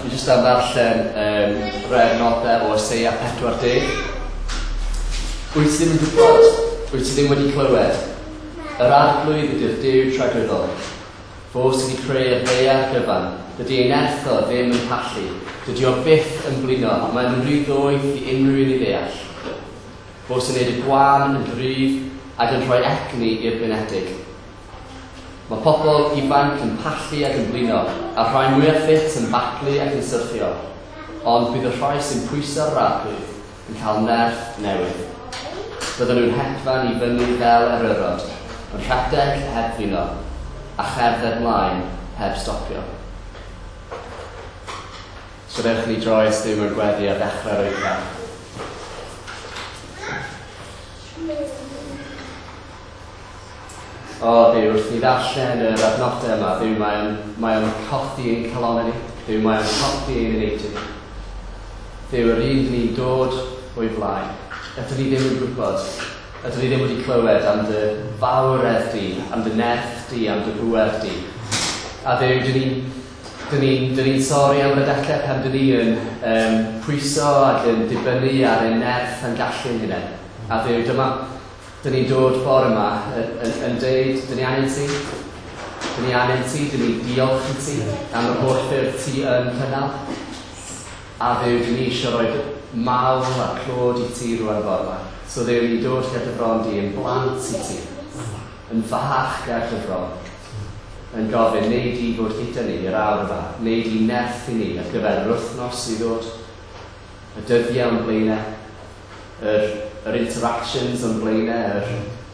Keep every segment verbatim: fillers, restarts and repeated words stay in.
Fi jyst am ddarllen um, rhai adnodau o Eseia pedwar deg. Wyt ti ddim yn gwybod? Wyt ti ddim wedi clywed? Yr Arglwydd ydy'r Duw tragwyddol. Fo sydd wedi creu'r ddaear gyfan. Dydy ei nerth o ddim yn pallu. Dydy o byth yn blino, mae'n rhy ddoeth i unrhyw un i ddeall. Fo sy'n neud y gwan yn gryf ac yn rhoi egni i'r blinedig. Mae pobl ifanc yn pallu ac yn blino, a'r rhai mwyaf ffit yn baglu ac yn syrthio. Ond bydd y rhai sy'n pwyso'r Arglwydd yn cael nerth newydd. Bydden nhw'n hedfan i fyny fel eryrod, yn rhedeg heb flino, a cherdded mlaen heb stopio. So dewch ni droi at Dduw mewn gweddi ar ddechrau'r oedfa. O Dduw, wrth ni ddarllen yr adnodau yma, Dduw, mae o'n, mae o'n codi ein calonnau ni. Dduw, mae o'n codi ein eneidiau ni. Dduw, yr un dyn ni'n dod o'i flaen. Ydyn ni ddim yn gwybod, ydyn ni ddim wedi clywed am dy fawredd di, am dy nerth di, am dy bŵer di. A Dduw, dyn ni'n dyn ni'n dyn ni'n sori am yr adegau pan dyn ni yn um, pwyso ac yn dibynnu ar ein nerth a'n gallu ein hunain. A Dduw, dyma, dyn ni'n dod bore yma yn, yn, yn deud, dyn ni angen ti, dyn ni angen ti, dyn ni diolch i ti am yr holl ffyrdd ti yn cynnal. A Dduw, dyn ni eisiau rhoi mawl a clod i ti rwan bore yma. So Dduw, ni'n dod ger dy fron di yn blant i ti, yn fach ger dy fron, yn gofyn, neud i fod gyda ni i'r awr yma, neud i nerth i ni ar gyfer yr wythnos i ddod, y dyddiau o'n blaenau, yr, yr interactions o'n blaenau, yr,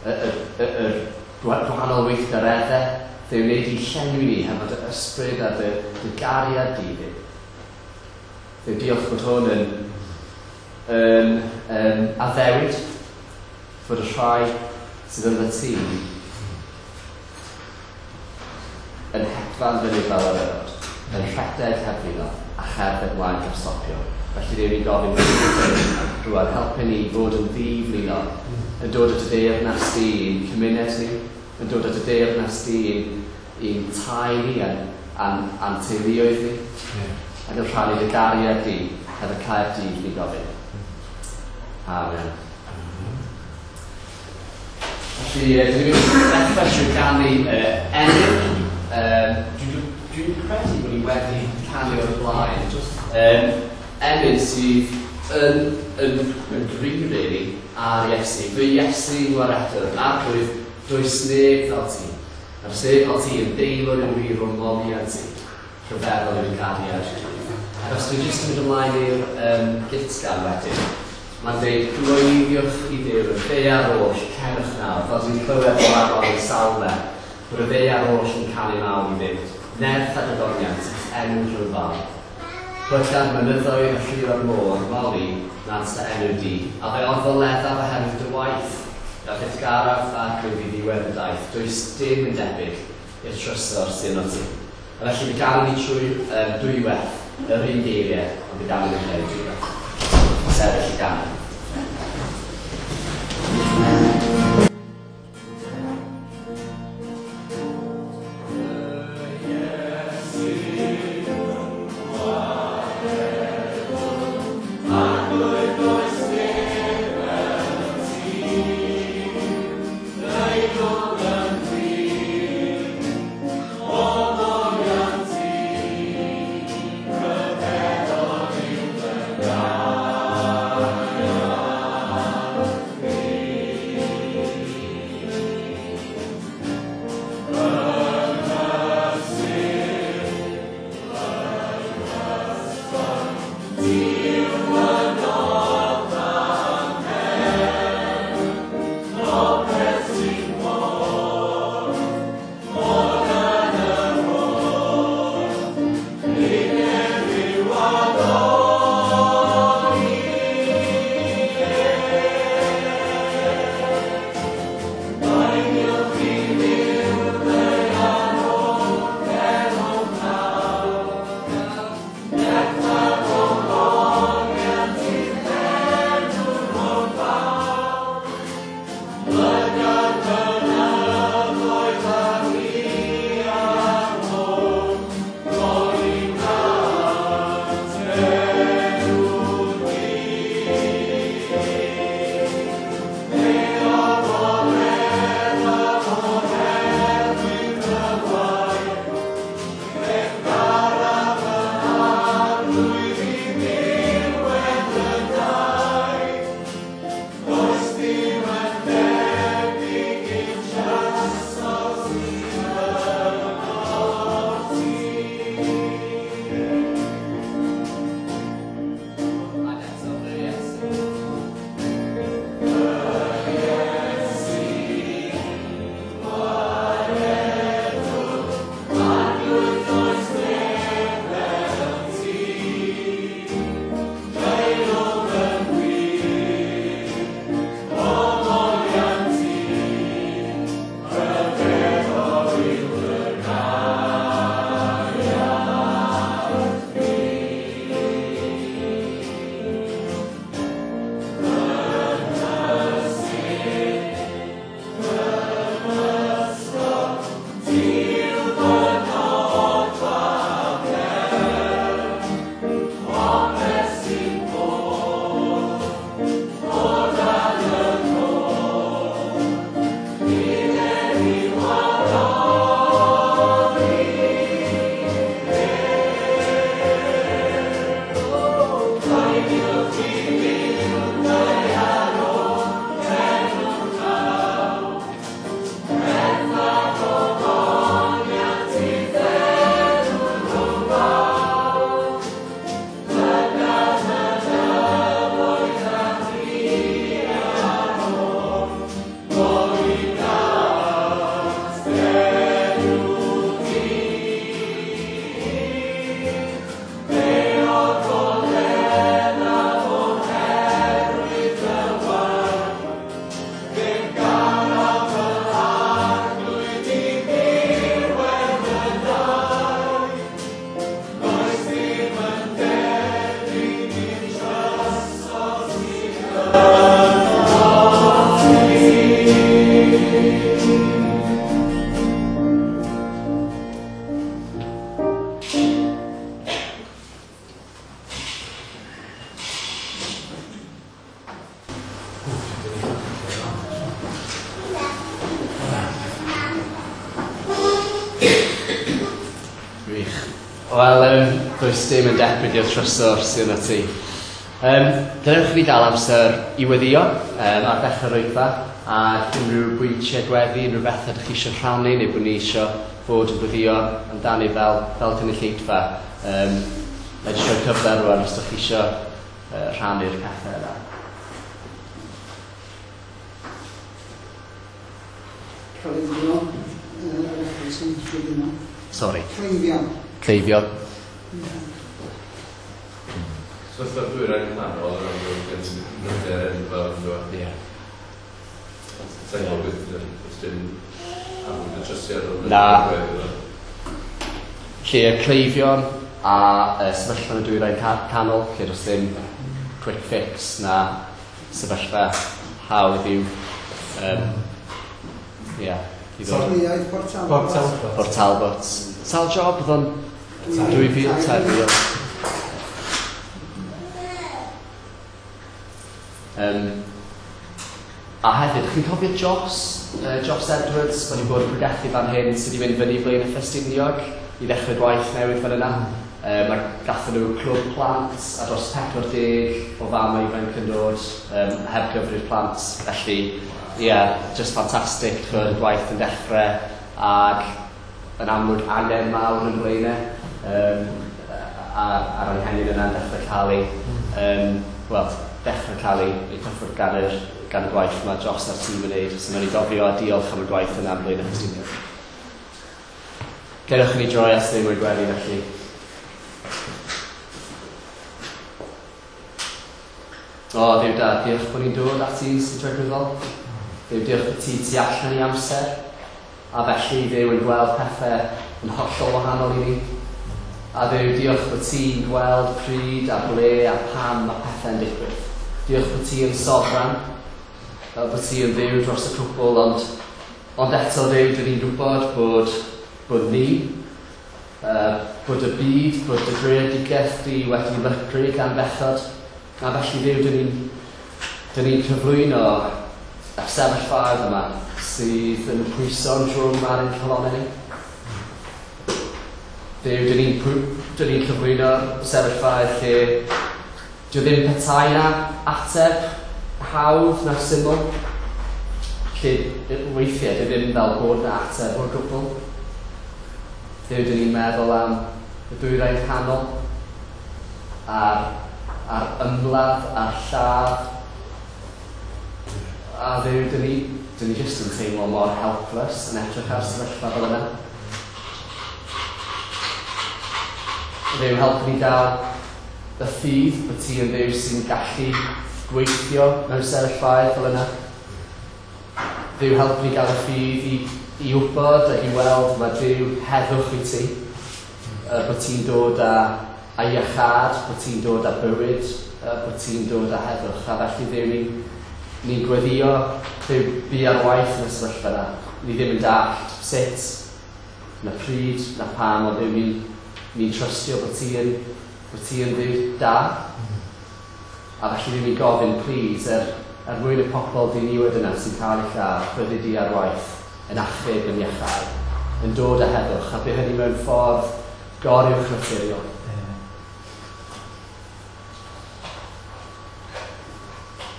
yr, yr, yr gwahanol weithgareddau. Dduw, wneud i llenwi ni hefo dy ysbryd a dy, dy gariad di, Dduw. Dduw, diolch bod hwn yn, yn, yn addewid fod y rhai sydd yn dy tŷ yn hedfan fyny fel eryrod, yn rhedeg heb flino a cherdded mlaen heb stopio. Felly Dduw, ni'n gofyn rwan, helpu ni i fod yn ddi-flino, yn dod at y deyrnas di i'n cymuned ni, yn dod at y deyrnas di i'n, i'n tai ni a'n, a'n, a'n teuluoedd ni, yeah. Ac yn rhannu dy gariad di, hefo Caerdydd ni'n gofyn. Amen. Felly, dyn ni'n mynd i ddechrau trwy ganu uh, emyn. Um, Dwi'n dwi credu bod ni wedi canu o'r blaen. Um, emyn sydd yn, yn, yn gry, really, ar Iesu. Fy Iesu ngwaredwr, Arglwydd, does neb fel ti. A does neb fel ti yn deilwr yn wir o moliant ti. Rhyfeddol yw'r cariad. Ac os dwi'n jyst yn mynd ymlaen i'r um, gytgan wedyn, mae'n dweud, gloeddiwch i Dduw, y ddaear oll, cerwch nawr, fel dwi'n clywed o'r afon yn salmau, bod y ddaear oll yn canu mawl i Dduw. Nerth ac adoniant, enw rhyfel. Plyga'r mynyddoedd a llio'r môr, moli, nant dy enw di. A fe orfoleddaf oherwydd dy waith, a byth garaf Arglwydd i ddiwedd y daith. Does dim yn debyg i'r trysor sy'n yno ti. A felly fe ganwn ni trwy um, dwywaith yr un geiriau, ond fe ganwn ni'n creu dwywaith. Sefyll i ganu. Yeah. Gwych. Wel, um, does dim yn debyg i'r trysor sydd yna ti. Um, Dylech chi gael amser i weddio um, ar ddechrau'r oedfa a unrhyw bwyntiau gweddi, unrhyw beth ydych chi eisiau rhannu neu bod ni eisiau fod yn gweddio amdani fel, fel cynulleidfa. Um, Na i jyst rhoi cyfle rwan os ydych chi eisiau uh, rhannu'r pethau yna. Cleifion. Sorry. Cleifion. Cleifion. Sefyllfa'r dwyrain canol yn amlwg yn bryder enfawr ynddo. Ie. Sa'n gwybod beth os dim amlwg y trysiad o'r Na. Lle y cleifion a uh, sefyllfa yn y dwyrain canol, lle does ddim quick fix na sefyllfa hawdd i'w um, yeah, i ddod. Safleoedd Port Talbot. Port Talbot. Port Talbot. Sawl job oedd o'n dwy fil, tair mil. Um, a hefyd, chi'n cofio Joss, uh, Joss Edwards, mae wedi bod yn pregethu fan hyn, sydd wedi mynd fyny Blaenau Ffestiniog i ddechrau gwaith newydd fan yna. Um, mae gathen nhw clwb plant a dros pedwar deg o famau ifanc yn dod, um, heb gyfri'r plant. Felly, ie, yeah, just ffantastig, chwyd, y gwaith yn dechrau ac yn amlwg angen mawr yn Blaenau. Um, a'r, a'r anghenion yna'n dechrau cael ei, um, wel, dechrau cael ei, ei cyffwrdd gan, yr, gan y gwaith mae Joss a'r tîm yn neud. So mae'n i gofio a diolch am y gwaith yna am Blaenau Ffestiniog. Cerwch i ni droi at ddim o'r gweddi felly. O, Dduw da, diolch bod ni'n dod at ti sy'n dragwyddol. Dduw, diolch bod ti tu allan i amser. A felly Dduw yn gweld pethau yn hollol wahanol i ni. A Dduw, diolch bod ti'n gweld pryd a ble a pam mae pethau'n digwydd. Diolch bod ti yn sofran, fel bod ti yn Dduw dros y cwbl, ond, ond eto Dduw, dyn ni'n gwybod bod, bod ni, uh, bod y byd, bod y greadigaeth di wedi lygru gan bechod. A felly Dduw, dyn ni'n dyn ni'n cyflwyno y sefyllfaoedd yma sydd yn pwyso'n drwm ar ein calonnau ni. Dduw, dyn ni'n dyn ni'n cyflwyno'r sefyllfaoedd lle dyw ddim petai na ateb hawdd na syml, lle weithiau dyw ddim fel bod na ateb o'r gwbl. Dduw, dyn ni'n meddwl am y dwyrain canol a'r, a'r ymladd a'r lladd. A Dduw, dyn ni, dyn ni jyst yn teimlo mor helpless yn edrych ar sefyllfa fel yna. Dduw, helpu ni gael y ffydd bod ti yn Dduw sy'n gallu gweithio mewn sefyllfaoedd fel yna. Dduw, helpu ni gael y ffydd i, i wybod ac i weld mae Duw heddwch i ti, uh, bod ti'n dod â, â iachâd, bod ti'n dod â bywyd, uh, bod ti'n dod â heddwch. A felly Dduw, ni'n ni gweddio, Dduw, bu ar waith yn y sefyllfa yna. Ni ddim yn dallt sut, na pryd, na pam, ond Dduw, ni'n ni'n trystio bod ti yn, bod ti yn Dduw da. A felly ni'n gofyn, please, er, er mwyn y pobl ddiniwed yna sy'n cael eu lladd, byddi di ar waith, yn achub, yn iachau, yn dod â heddwch, a bydd hynny mewn ffordd goruwch naturiol.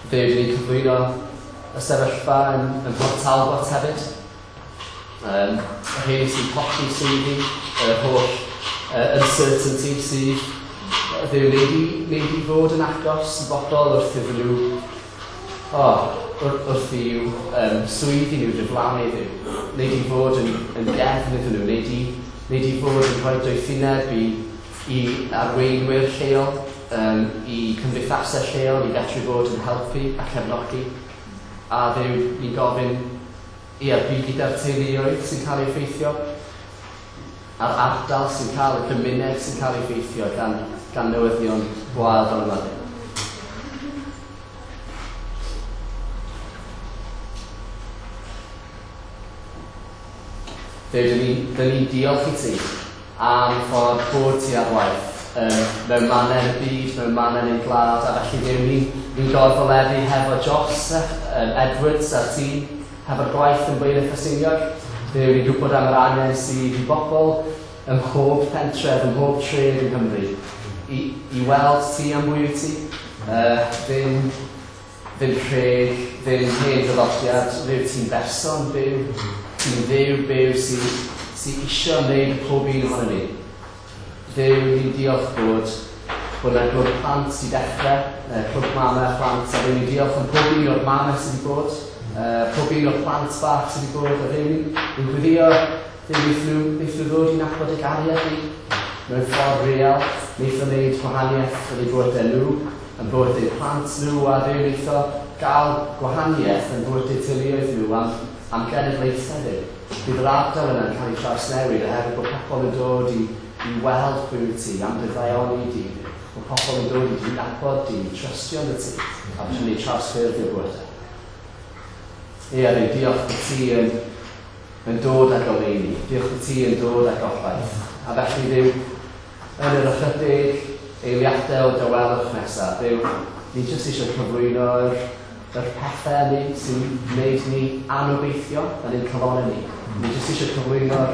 Dduw, dyn ni'n cyflwyno y sefyllfa yn, yn Port Talbot hefyd. Um, y rheini sy'n colli swyddi, yr holl uh, uncertainty sydd Dduw, wneud i, wneud i fod yn agos i bobl wrth iddyn nhw, oh, wrth i'w um, swyddi nhw diflannu Dduw. Wneud i fod yn, yn gefn iddyn nhw, wneud i, wneud i fod yn rhoi doethineb i, i arweinwyr lleol, um, i cymdeithasau lleol, i fedru fod yn helpu a cefnogi. A Dduw, ni'n gofyn, ia, bu gyda'r teuluoedd sy'n cael ei effeithio, a'r ardal sy'n cael, y gymuned sy'n cael ei effeithio gan, gan newyddion gwael fel yma. Dduw, dyn ni'n ni, ni diolch i ti am ffordd bod ti ar waith um, mewn mannau yn y byd, mewn mannau yn ein gwlad, a felly Dduw, ni'n ni gorfoleddu hefo Joss um, Edwards a'r tîm, hefo'r gwaith yn Blaenau Ffestiniog. Dduw, ni'n gwybod am yr angen sydd i bobl ym mhob pentref, ym mhob tref yng Nghymru, i, i weld ti am bwy wyt ti, uh, ddim, ddim rheg, ddim hen ddyfodiad, Dduw, ti'n berson byw, ti'n Dduw byw sy'n sy isio wneud pob un ohono ni. Dduw, ni'n diolch bod bod yna glwb plant sy'n dechrau, uh, clwb mamau a phlant, a Dduw, ni'n diolch am pob un o'r mamau sydd wedi bod, uh, pob un o'r plant bach sydd wedi bod, a Dduw, ni'n gweddio, Dduw, wnaethon nhw, wnaethon nhw ddod i nabod y gariad ni mewn ffordd real, wnaethon wneud gwahaniaeth yn eu bywydau nhw, yn bywydau plant nhw, a Dduw, wnaethon gael gwahaniaeth yn bywydau teuluoedd nhw am, am genedlaethau Dduw. Bydd yr ardal yna'n cael ei trawsnewid oherwydd bod pobl yn dod i, i weld pwy wyt ti, am dy ddaioni di, bod pobl yn dod i dy nabod di, trystio yn y ti, a bod hynny trawsffurfio bywydau. Ie, Dduw, diolch bod ti yn, yn dod â goleuni, diolch bod ti yn dod â gobaith. A felly, Dduw, yn yr ychydig eiliadau o dawelwch nesaf, Dduw, ni jyst eisiau cyflwyno'r yr pethau ni sy'n gwneud ni anobeithio yn ein calonnau ni. Ni jyst eisiau cyflwyno'r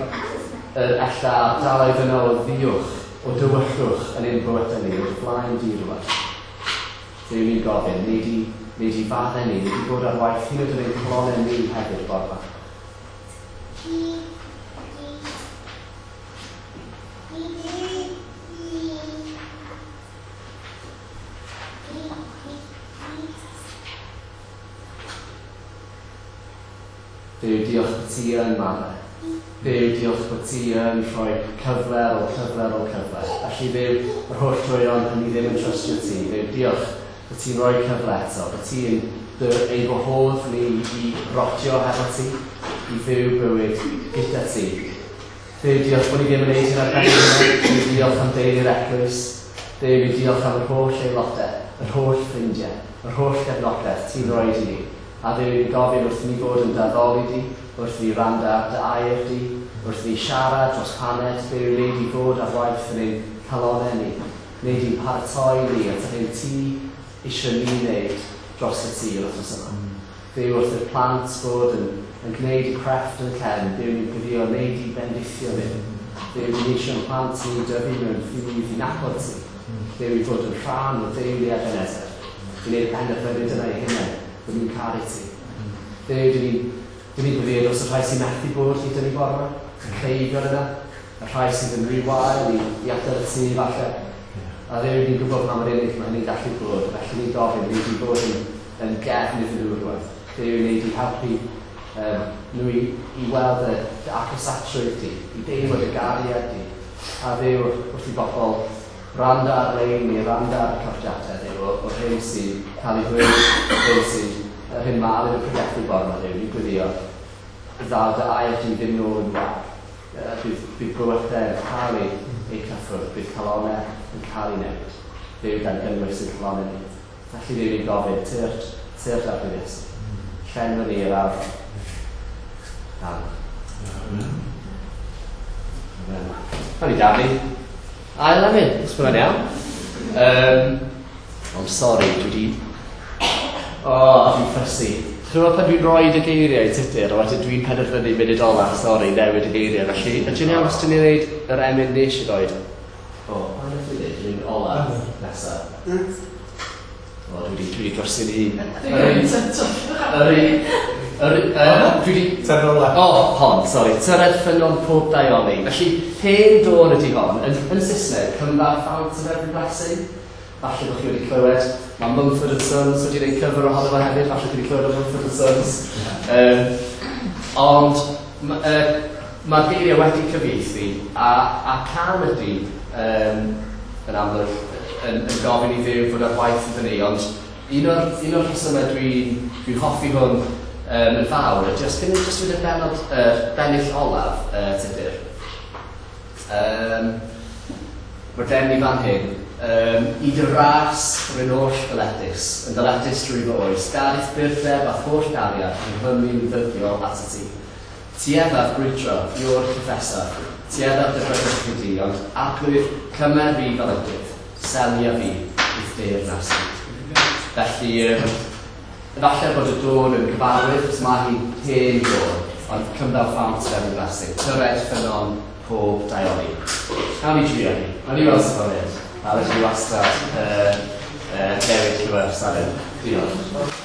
yr ella ardaloedd yna o ddiwch, o dywyllwch yn ein bywydau ni, o'r flaen di rŵan. Dduw, ni'n gofyn, wneud i, wneud i faddau ni, wneud i fod ar waith hyd yn oed yn ein calonnau ni hefyd bore 'ma. Dduw, diolch bod ti yn maddau. Dduw, diolch bod ti yn rhoi cyfle ar ôl cyfle ar ôl cyfle. Felly, Dduw, yr holl droeon pan ni ddim yn trystio ti. Dduw, diolch bod ti'n rhoi cyfle eto, bod ti'n dy ein gwahodd ni i rotio hefo ti, i fyw bywyd gyda ti. Dduw, diolch bod ni ddim yn neud hyn ar ben ein hunain. Dduw, diolch am deulu'r eglwys. Dduw, ni diolch am yr holl aelodau, yr holl ffrindiau, yr holl gefnogaeth ti'n rhoi i ni. A Dduw, ni'n gofyn wrth ni fod yn d'addoli di, wrth ni wrando ar dy air di, wrth ni siarad dros paned, Dduw, wneud i fod ar waith yn ein calonnau ni, wneud i'n paratoi ni at yr hyn ti eisiau ni wneud dros y tŷ yr wythnos yma. Dduw, wrth i'r plant fod yn, yn gwneud y crefft yn y cefn, Dduw, ni'n gweddio wneud i bendithio ni. Dduw, ni'n eisiau'n plant ni dyfu mewn ffydd i nabod ti. Dduw, i fod yn rhan o deulu Ebenezer, i wneud y penderfyniad yna eu hunain, bod ni'n caru ti. Dduw, dyn ni'n dyn ni'n gweddio dros y rhai sy'n methu bod gyda ni bore 'ma, y cleifion yna, y rhai sydd yn rhy wael i, i adael y tŷ falle. A Dduw, ni'n gwybod pa mor unig mae hynny'n gallu bod, felly ni'n gofyn, wneud i fod yn, yn gefn iddyn nhw rŵan. Dduw, wneud i helpu um, nhw i, i weld y, dy agosatrwydd di, i deimlo dy gariad di. A Dduw, wrth i bobl wrando ar-lein neu wrando ar y recordiadau, Dduw, o'r hyn sy'n cael ei ddweud, yr hyn sy'n, yr hyn mae Alun yn pregethu bore 'ma, Dduw, ni'n gweddio, ddaw dy air di ddim nôl yn wag. Uh, bydd, bydd bywydau yn cael ei, eu cyffwrdd, bydd calonnau yn cael ei newid. Dduw, gan gynnwys ein calonnau ni. Felly Dduw, ni'n gofyn, tyrd, tyrd Arglwydd Iesu. Llenwa ni yr awr. Amen. Amen. O'n i daflu ail emyn, os byddai'n iawn. Um, I'm sorry, dwi wedi... O, oh, dwi'n ffysu. Chi'n gwybod pan dwi'n rhoi y geiriau i Tudur, a wedyn dwi'n penderfynu munud ola, sori, newid y geiriau. Felly, ydyn iawn os dyn ni'n neud yr emyn nes i roed? O, pa nath i ddeud? Yr un ola nesa. O, dwi wedi, dwi wedi drysu'n hun. Yr un... Yr un... Yr un... Dwi wedi... Tyred ola. O, hon, sori. Tyred ffynnon pob daioni. Felly, hen dôn ydi hon. Yn, yn Saesneg, Come Thou Fount of Every Blessing. Falle bod chi wedi clywed. Mae Mumford and Sons wedi gwneud cover ohono fo hefyd. Falle chi wedi clywed o Mumford and Sons. Um, ond uh, mae'r geiriau wedi cyfieithu a, a cân ydy um, yn amlwg yn, yn gofyn i Dduw fod ar waith iddyn ni. Ond un o'r, un o'r rhesymau dwi'n dwi hoffi hwn um, yn fawr ydy os cyn jyst fynd y benod, uh, bennill olaf, uh, Tudur. Um, Mae gen i fan hyn, um, i dy ras rwy'n oll ddyledus, yn ddyledus drwy fy oes, gad i'th burdeb a holl gariad yn nghymu'n ddyddiol at y ti. Tueddaf brwydro, yw'r cyffesaf, tueddaf dy bregethwch i di, ond Arglwydd, cymer fi fel ydydd, selia fi i'th deyrnas di. Felly, um, efallai bod y dôn yn gyfarwydd, achos mae hi'n hen dôn, ond Come Thou Fount of Every Blessing, tyred ffynnon pob daioni. Nawn ni drio hi. Nawn ni weld sut mae'n mynd. A felly wastad uh, uh, newid llyfr Sadwrn. Diolch.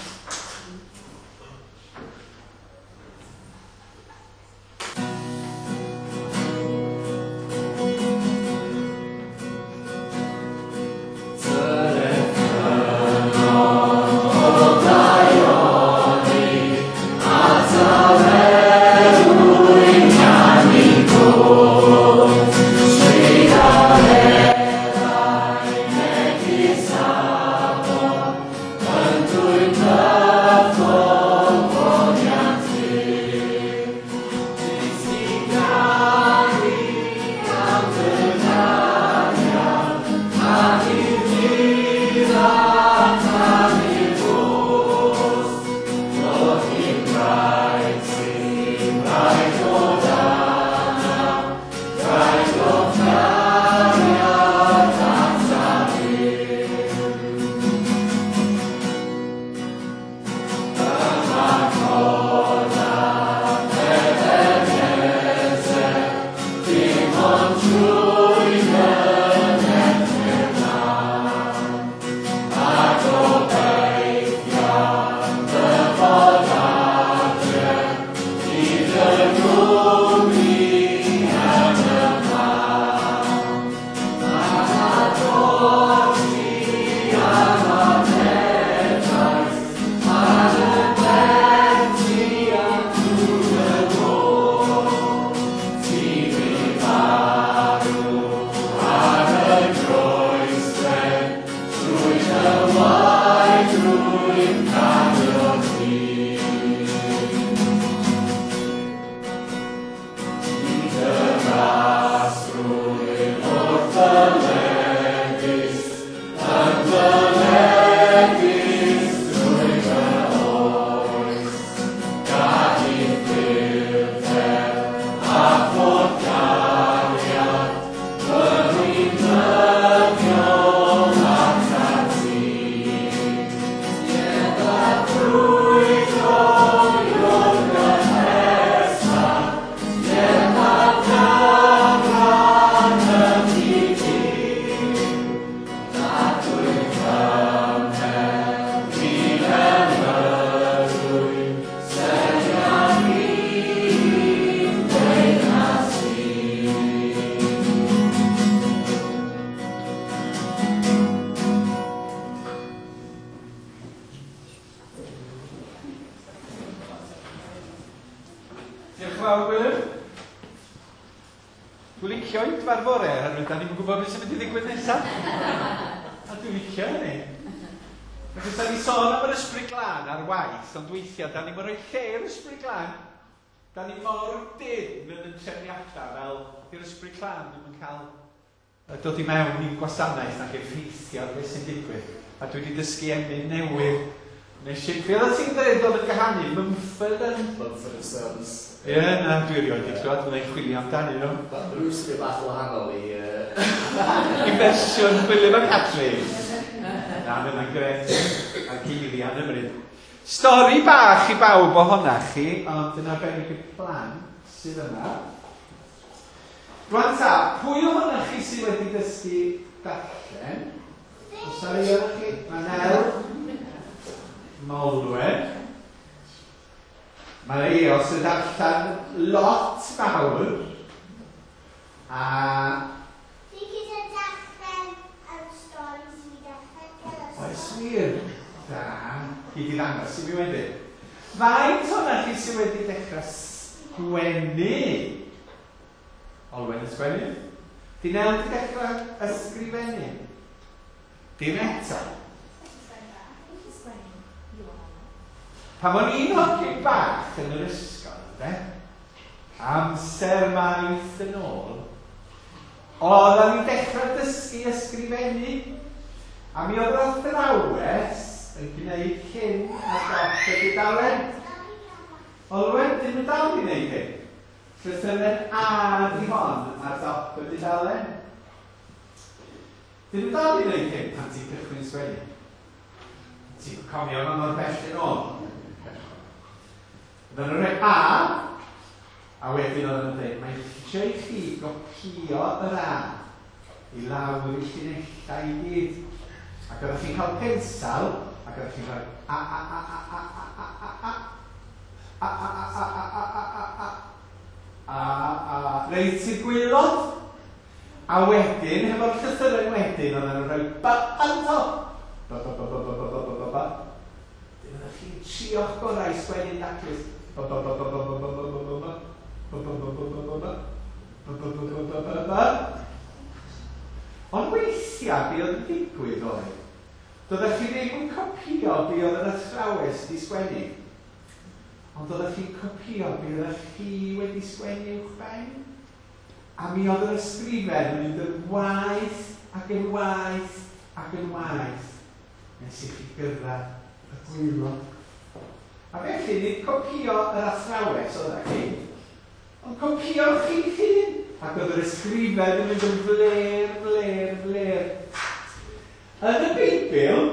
Ond weithiau, da ni'n rhoi lle i'r Ysbryd Glân. Da ni mor dyn yn yn trefniadau fel di'r Ysbryd Glân ddim yn cael dod i mewn i'n gwasanaeth ac effeithio ar beth sy'n digwydd. A dwi wedi dysgu emyn newydd. Nes i, be oeddet ti'n dweud oedd yn gahanu? Mumford and... Mumford and Sons. Ie, yeah, na, dwi erioed wedi clywed, fyddai'n chwilio amdanyn nhw. Wel, rhyw sy'n bach o wahanol i... Uh... I fersiwn Gwilym a Catrin. Na, mae'n gret. A geiriau yn ymryd. Stori bach i bawb ohonach chi, ond yn arbennig i'r plant sydd yma. Rwan ta, pwy ohonoch chi sydd wedi dysgu darllen? Oes 'na rai ohonoch chi? Mae Nel, Molwen. Mae Eos yn darllen lot fawr. A... Fi gyda darllen am storis fi darllen gyda. Oes wir? Da. Gei di ddangos i mi wedyn. Faint ohonoch chi sydd wedi dechrau sgwennu? Olwen yn sgwennu? Di Nel wedi dechrau ysgrifennu? Dim eto. Pan o'n i'n hogyn bach yn yr ysgol, ynde? Amser maith yn ôl, oedden ni'n dechrau dysgu ysgrifennu. A mi oedd yr athrawes yn gwneud hyn ar dop y dudalen. Olwen, dyn nhw dal i wneud hyn. Llythyren A di hon ar dop y dudalen. Dyn nhw dal i wneud hyn pan ti'n cychwyn sgwennu. Ti'n cofio ma mor bell yn ôl. Oedden nhw'n rhoi A A wedyn oedden nhw'n dweud, mae eisiau i chi gopio yr A i lawr i llinellau i gyd. Ac oeddech chi'n cael pensel, ac oeddech chi'n rhoi a a a a a a a a a a a a a a a a a a a reit i'r gwaelod. A wedyn, hefo'r llythyren wedyn, oedden nhw'n rhoi ba ar y top. Ba ba ba ba ba ba ba ba ba. Wedyn oeddech chi'n trio'ch gorau i sgwennu'n daclus. Ba ba ba ba ba ba ba ba ba ba ba. Ba ba ba ba ba ba ba. Ba ba ba ba ba ba ba. Ond weithiau, be oedd yn digwydd oedd, doeddech chi ddim yn copio be oedd yr athrawes wedi sgwennu, ond doeddech chi'n copio be oeddech chi wedi sgwennu uwchben. A mi oedd yr ysgrifen yn mynd yn waeth ac yn waeth ac yn waeth nes i chi gyrraedd y gwaelod. A felly, nid copio yr athrawes oeddech chi, ond copio chi'ch hun. Ac oedd yr ysgrifen yn mynd yn fler, fler, fler. Yn y Beibl,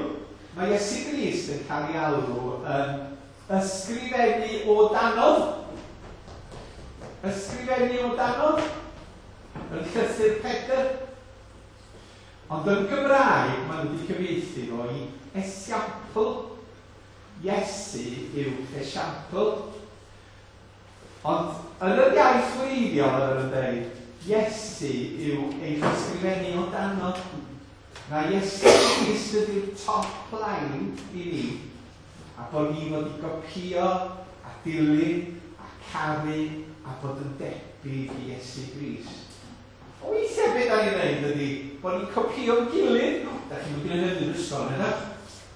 mae Iesu Grist yn cael ei alw yn ysgrifennu o danodd. Ysgrifennu o danodd. Yn llythyr Pedr. Ond yn Gymraeg, maen nhw wedi cyfieithu fo i esiampl. Iesu yw esiampl. Ond yn yr iaith wreiddiol, oedden nhw'n dweud, Iesu yw eich ysgrifennu o danodd. Na Iesu Grist ydy'r top line i ni, a bod ni fod i gopio a dilyn a caru a bod yn debyg i Iesu Grist. O weithiau beth da ni'n neud ydy bod ni'n copio'n gilydd. Da chi'n mynd i wneud yn ysgol, neu?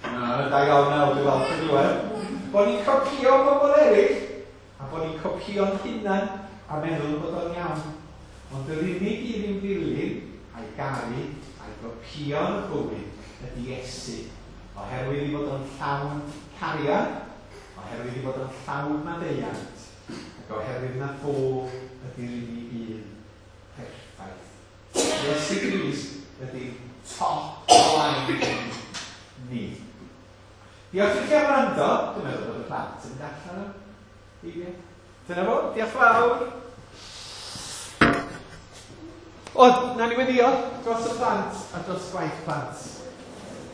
Na, da iawn nawr, dwi'n falch o glywed. Bod ni'n copio bobl eraill, a bod ni'n copio'n hunan a meddwl bod o'n iawn. Ond yr unig un i'w ddilyn a'i garu a'i gopio yn y bywyd ydy Iesu. Oherwydd i fod o'n llawn cariad, oherwydd i fod o'n llawn maddeuant, ac oherwydd na fo ydy'r unig un perffaith. Iesu Grist ydy top line ni. Diolch i chi am wrando. Dwi'n meddwl bod y plant yn mynd allan o. Dyna fo, diolch fawr. O, na ni weddio dros y plant a dros gwaith plant.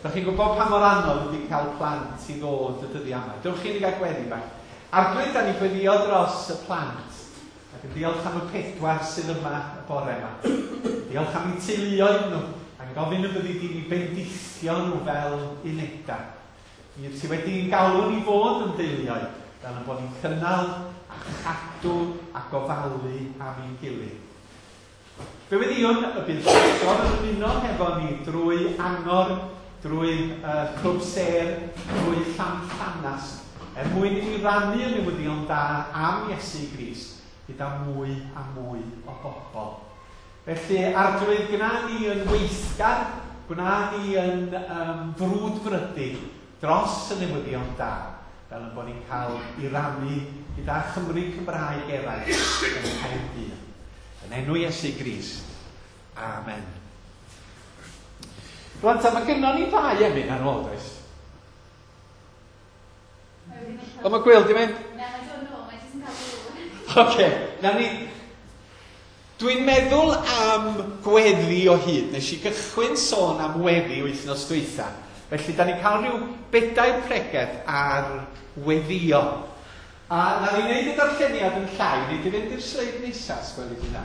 Da chi'n gwybod pa mor anodd ydy cael plant i ddod y dyddiau yma. Dewch chi ni gael gweddi bach. Arglwydd, da ni'n gweddio dros y plant. Ac yn diolch am y pedwar sydd yma y bore yma. Diolch am eu teuluoedd nhw. Ac yn gofyn y byddi di ni bendithio nhw fel unedau. Mi ti wedi'n galw ni fod yn deuluoedd, fel yn bod ni'n cynnal a chadw a gofalu am ein gilydd. Fe weddiwn y bydd Llangor yn ymuno hefo ni drwy Angor, drwy uh, Clwb Sêr, drwy Llanllanast, er mwyn i ni rannu y newyddion da am Iesu Grist gyda mwy a mwy o bobl. Felly, Arglwydd, gwna ni yn weithgar, gwna ni yn um, frwdfrydig dros y newyddion da, fel yn bod ni'n cael i rannu gyda Chymry Cymraeg eraill yn Caerdydd. Yn enw Iesu Grist. Amen. Rwan ta, mae gynnon ni ddau emyn ar ôl, does? O, mae Gwyl di mynd? Na, mae'n dod nôl, mae'n jyst yn cael dŵr. Oce, na ni... Dwi'n meddwl am gweddi o hyd. Nes i gychwyn sôn am weddi wythnos dwytha. Felly, da ni'n cael rhyw bedair pregeth ar weddio. A na ni wneud y darlleniad yn llai, ni di fynd i'r sleid nesaf, sgweli di dda.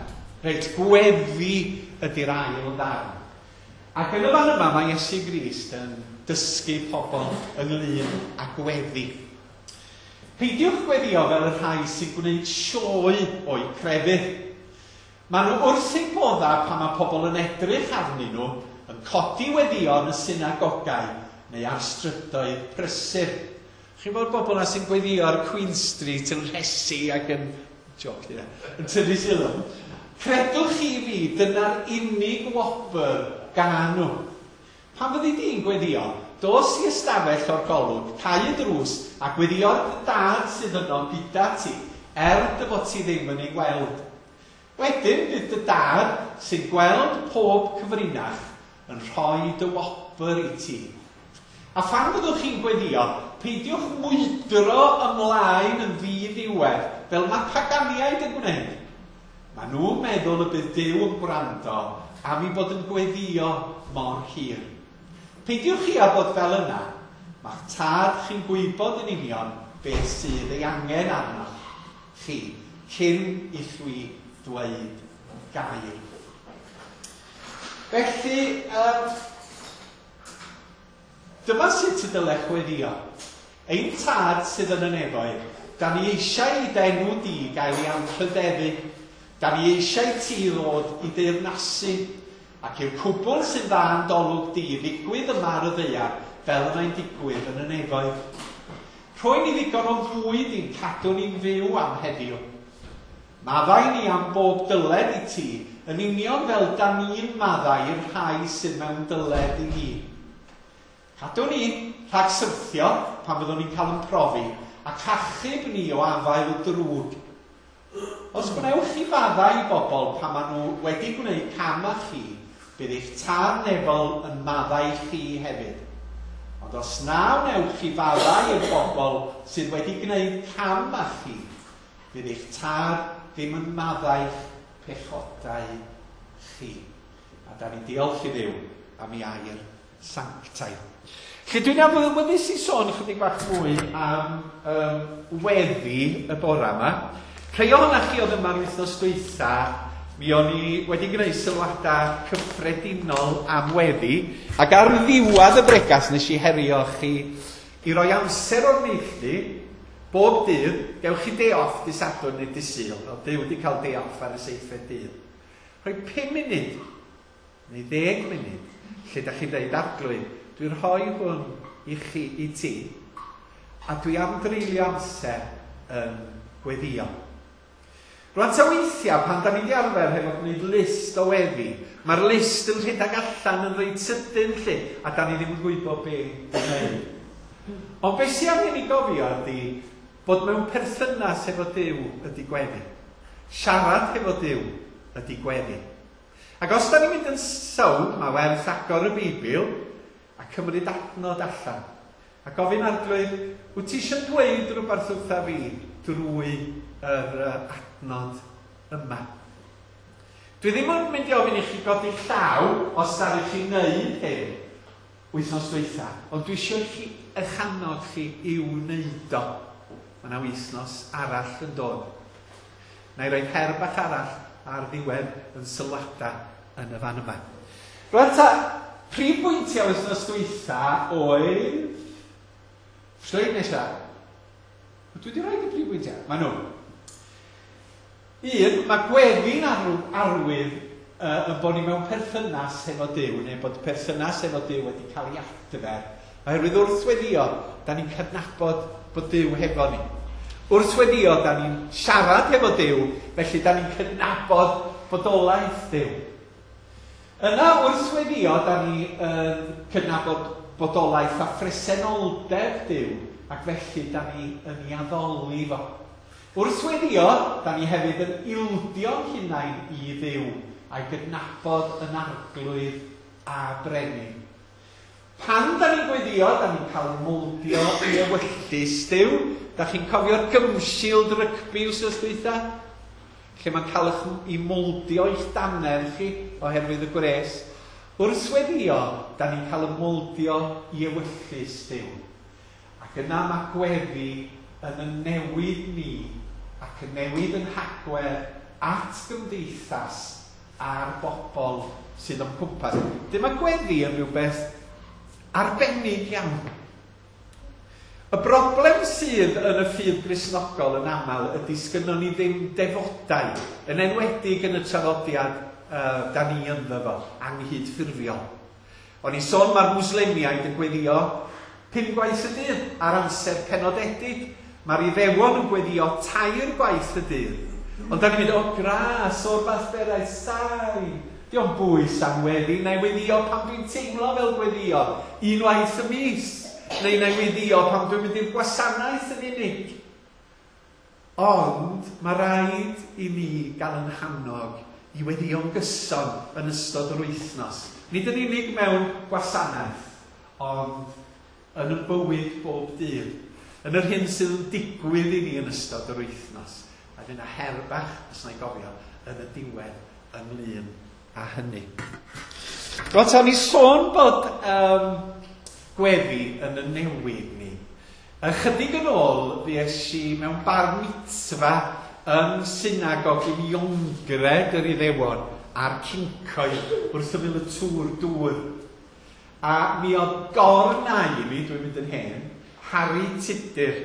Reit, gweddi ydy'r ail ddarn. Ac yn y fan yma mae Iesu Grist yn dysgu pobl ynglyn â gweddi. Peidiwch gweddio fel y rhai sy'n gwneud sioe o'u crefydd. Maen nhw wrth eu bodda pan mae pobl yn edrych arnyn nhw yn codi weddio yn y synagogau neu ar strydoedd prysur. Chi'n bod bobl yna sy'n gweddio ar Queen Street yn rhesi ac yn... Joc, ie. Yn tynnu sylw. Credwch chi fi, dyna'r unig wobr gan nhw. Pan fyddi di'n gweddio, dos i ystafell o'r golwg, cau y drws a gweddio'r dad sydd yno gyda ti, er dy fod ti ddim yn ei weld. Wedyn bydd dy dad sy'n gweld pob cyfrinach yn rhoi dy wobr i ti. A phan fyddwch chi'n gweddio, Peidiwch mwydro ymlaen yn ddiddiwedd, fel mae paganiaid yn gwneud. Mae nhw'n meddwl y bydd Duw yn gwrando am ei bod yn gweddio mor hir. Peidiwch chi â bod fel yna. Mae'ch tad chi'n gwybod yn union beth sydd ei angen arnoch chi cyn i chwi ddweud gair. Felly, um, dyma sut y dylech weddio. Ein tad sydd yn y nefoedd, da ni eisiau i d'enw di gael ei anrhydeddu. Da ni eisiau ti ddod i deyrnasu, ac i'r cwbl sy'n dda yn d'olwg di ddigwydd yma ar y ddaear, fel y mae'n digwydd yn y nefoedd. Rhoi ni ddigon o fwyd i'n cadw ni'n fyw am heddiw. Maddau ni am bob dyled i ti, yn union fel da ni'n maddau i'r rhai sydd mewn dyled i ni. Cadw ni rhag syrthio pan fyddwn ni'n cael yn profi, ac achub ni o afael y drwg. Os gwnewch chi faddau i bobl pan maen nhw wedi gwneud cam â chi, bydd eich tad nefol yn maddau chi hefyd. Ond os na wnewch chi faddau i'r bobl sydd wedi gwneud cam â chi, bydd eich tad ddim yn maddau'ch pechodau chi. A da ni'n diolch i Dduw am ei air sanctaidd. Lle dwi'n awyddus i sôn chydig bach mwy am um, weddi y bora yma. Rhai ohonoch chi oedd yma'r wythnos dwytha, mi o'n i wedi gwneud sylwadau cyffredinol am weddi, ac ar ddiwedd y bregas nes i herio chi i roi amser o'r neilltu, bob dydd, gewch chi day off dy Sadwrn neu dy Sul, fel Duw wedi cael day off ar y seithfed dydd. Rhoi pum munud, neu ddeg munud, lle da chi'n dweud, Arglwydd, dwi'n rhoi hwn i chi, i ti, a dwi am dreulio amser yn gweddio. Rwan ta weithiau, pan da ni wedi arfer hefo gwneud list o weddi, mae'r list yn rhedeg allan yn reit sydyn lle, a da ni ddim yn gwybod be i wneud. Ond beth sy'n angen i gofio ydy bod mewn perthynas efo Duw ydy gweddi. Siarad hefo Duw ydy gweddi. Ac os da ni'n mynd yn sownd, mae werth agor y Beibl a cymryd adnod allan. A gofyn Arglwydd, wyt ti eisiau dweud rhywbeth wrtha fi drwy yr adnod yma? Dwi ddim yn mynd i ofyn i chi godi llaw os ddaru chi wneud hyn wythnos dwytha, ond dwi eisiau chi eich annog chi i'w wneud o. Mae yna wythnos arall yn dod. Na i roi her bach arall ar ddiwedd yn sylwadau yn y fan yma. Rwan ta, prif bwyntiau wythnos dwytha oedd... Sleid nesaf. Dwi wedi rhoi y prif bwyntiau. Mae nhw. Un, mae gweddi'n arwydd uh, yn bod ni mewn perthynas efo Duw, neu bod perthynas efo Duw wedi cael ei adfer. Oherwydd wrth weddio, da ni'n cydnabod bod Duw hefo ni. Wrth weddio, da ni'n siarad hefo Duw, felly da ni'n cydnabod bodolaeth Duw. Yna wrth weddio, da ni yn cydnabod bodolaeth a phresenoldeb Duw, ac felly da ni yn ei addoli fo. Wrth weddio, da ni hefyd yn ildio'n hunain i Dduw, a'i gydnabod yn arglwydd a brenin. Pan da ni'n gweddio, da ni'n cael mowldio i ewyllys Duw. Da chi'n cofio'r gymshield rygbi wsos dwytha? Lle mae'n cael eich i mowldio i'ch dannedd chi oherwydd y gwres. Wrth weddio, da ni'n cael y mowldio i ewyllys Duw. Ac yna mae gweddi yn y newid ni ac yn newid yn hagwedd at gymdeithas a'r bobl sydd o'n cwmpas. Dyma gweddi yn rhywbeth arbennig iawn. Y broblem sydd yn y ffydd Gristnogol yn aml ydy sgynnon ni ddim defodau, yn enwedig yn y traddodiad uh, da ni ynddo fo, anghydffurfiol. O'n i sôn mae'r Mwslemiaid yn gweddio pum gwaith y dydd ar amser penodedig. Mae'r Iddewon yn gweddio tair gwaith y dydd. Ond da ni'n mynd, o gras, o'r fath berau sain. Dio'm bwys am weddi, na i weddio pan dwi'n teimlo fel gweddio, unwaith y mis, neu na i weddio pan dwi'n mynd i'r gwasanaeth yn unig. Ond mae rhaid i ni gael yn hannog i weddio'n gyson yn ystod yr wythnos. Nid yn unig mewn gwasanaeth, ond yn y bywyd bob dydd, yn yr hyn sydd yn digwydd i ni yn ystod yr wythnos. A fydd yna her bach, os na i gofio, yn y diwedd ynglyn â hynny. Rwan, ta ni sôn bod um, gweddi yn y newid ni. Ychydig yn ôl, fues i mewn bar mitzvah yn synagog Uniongred yr Iddewon a'r Cyncoed wrth ymyl y tŵr dŵr. A mi oedd gor-nai i mi, dwi'n mynd yn hen, Harry Tudur,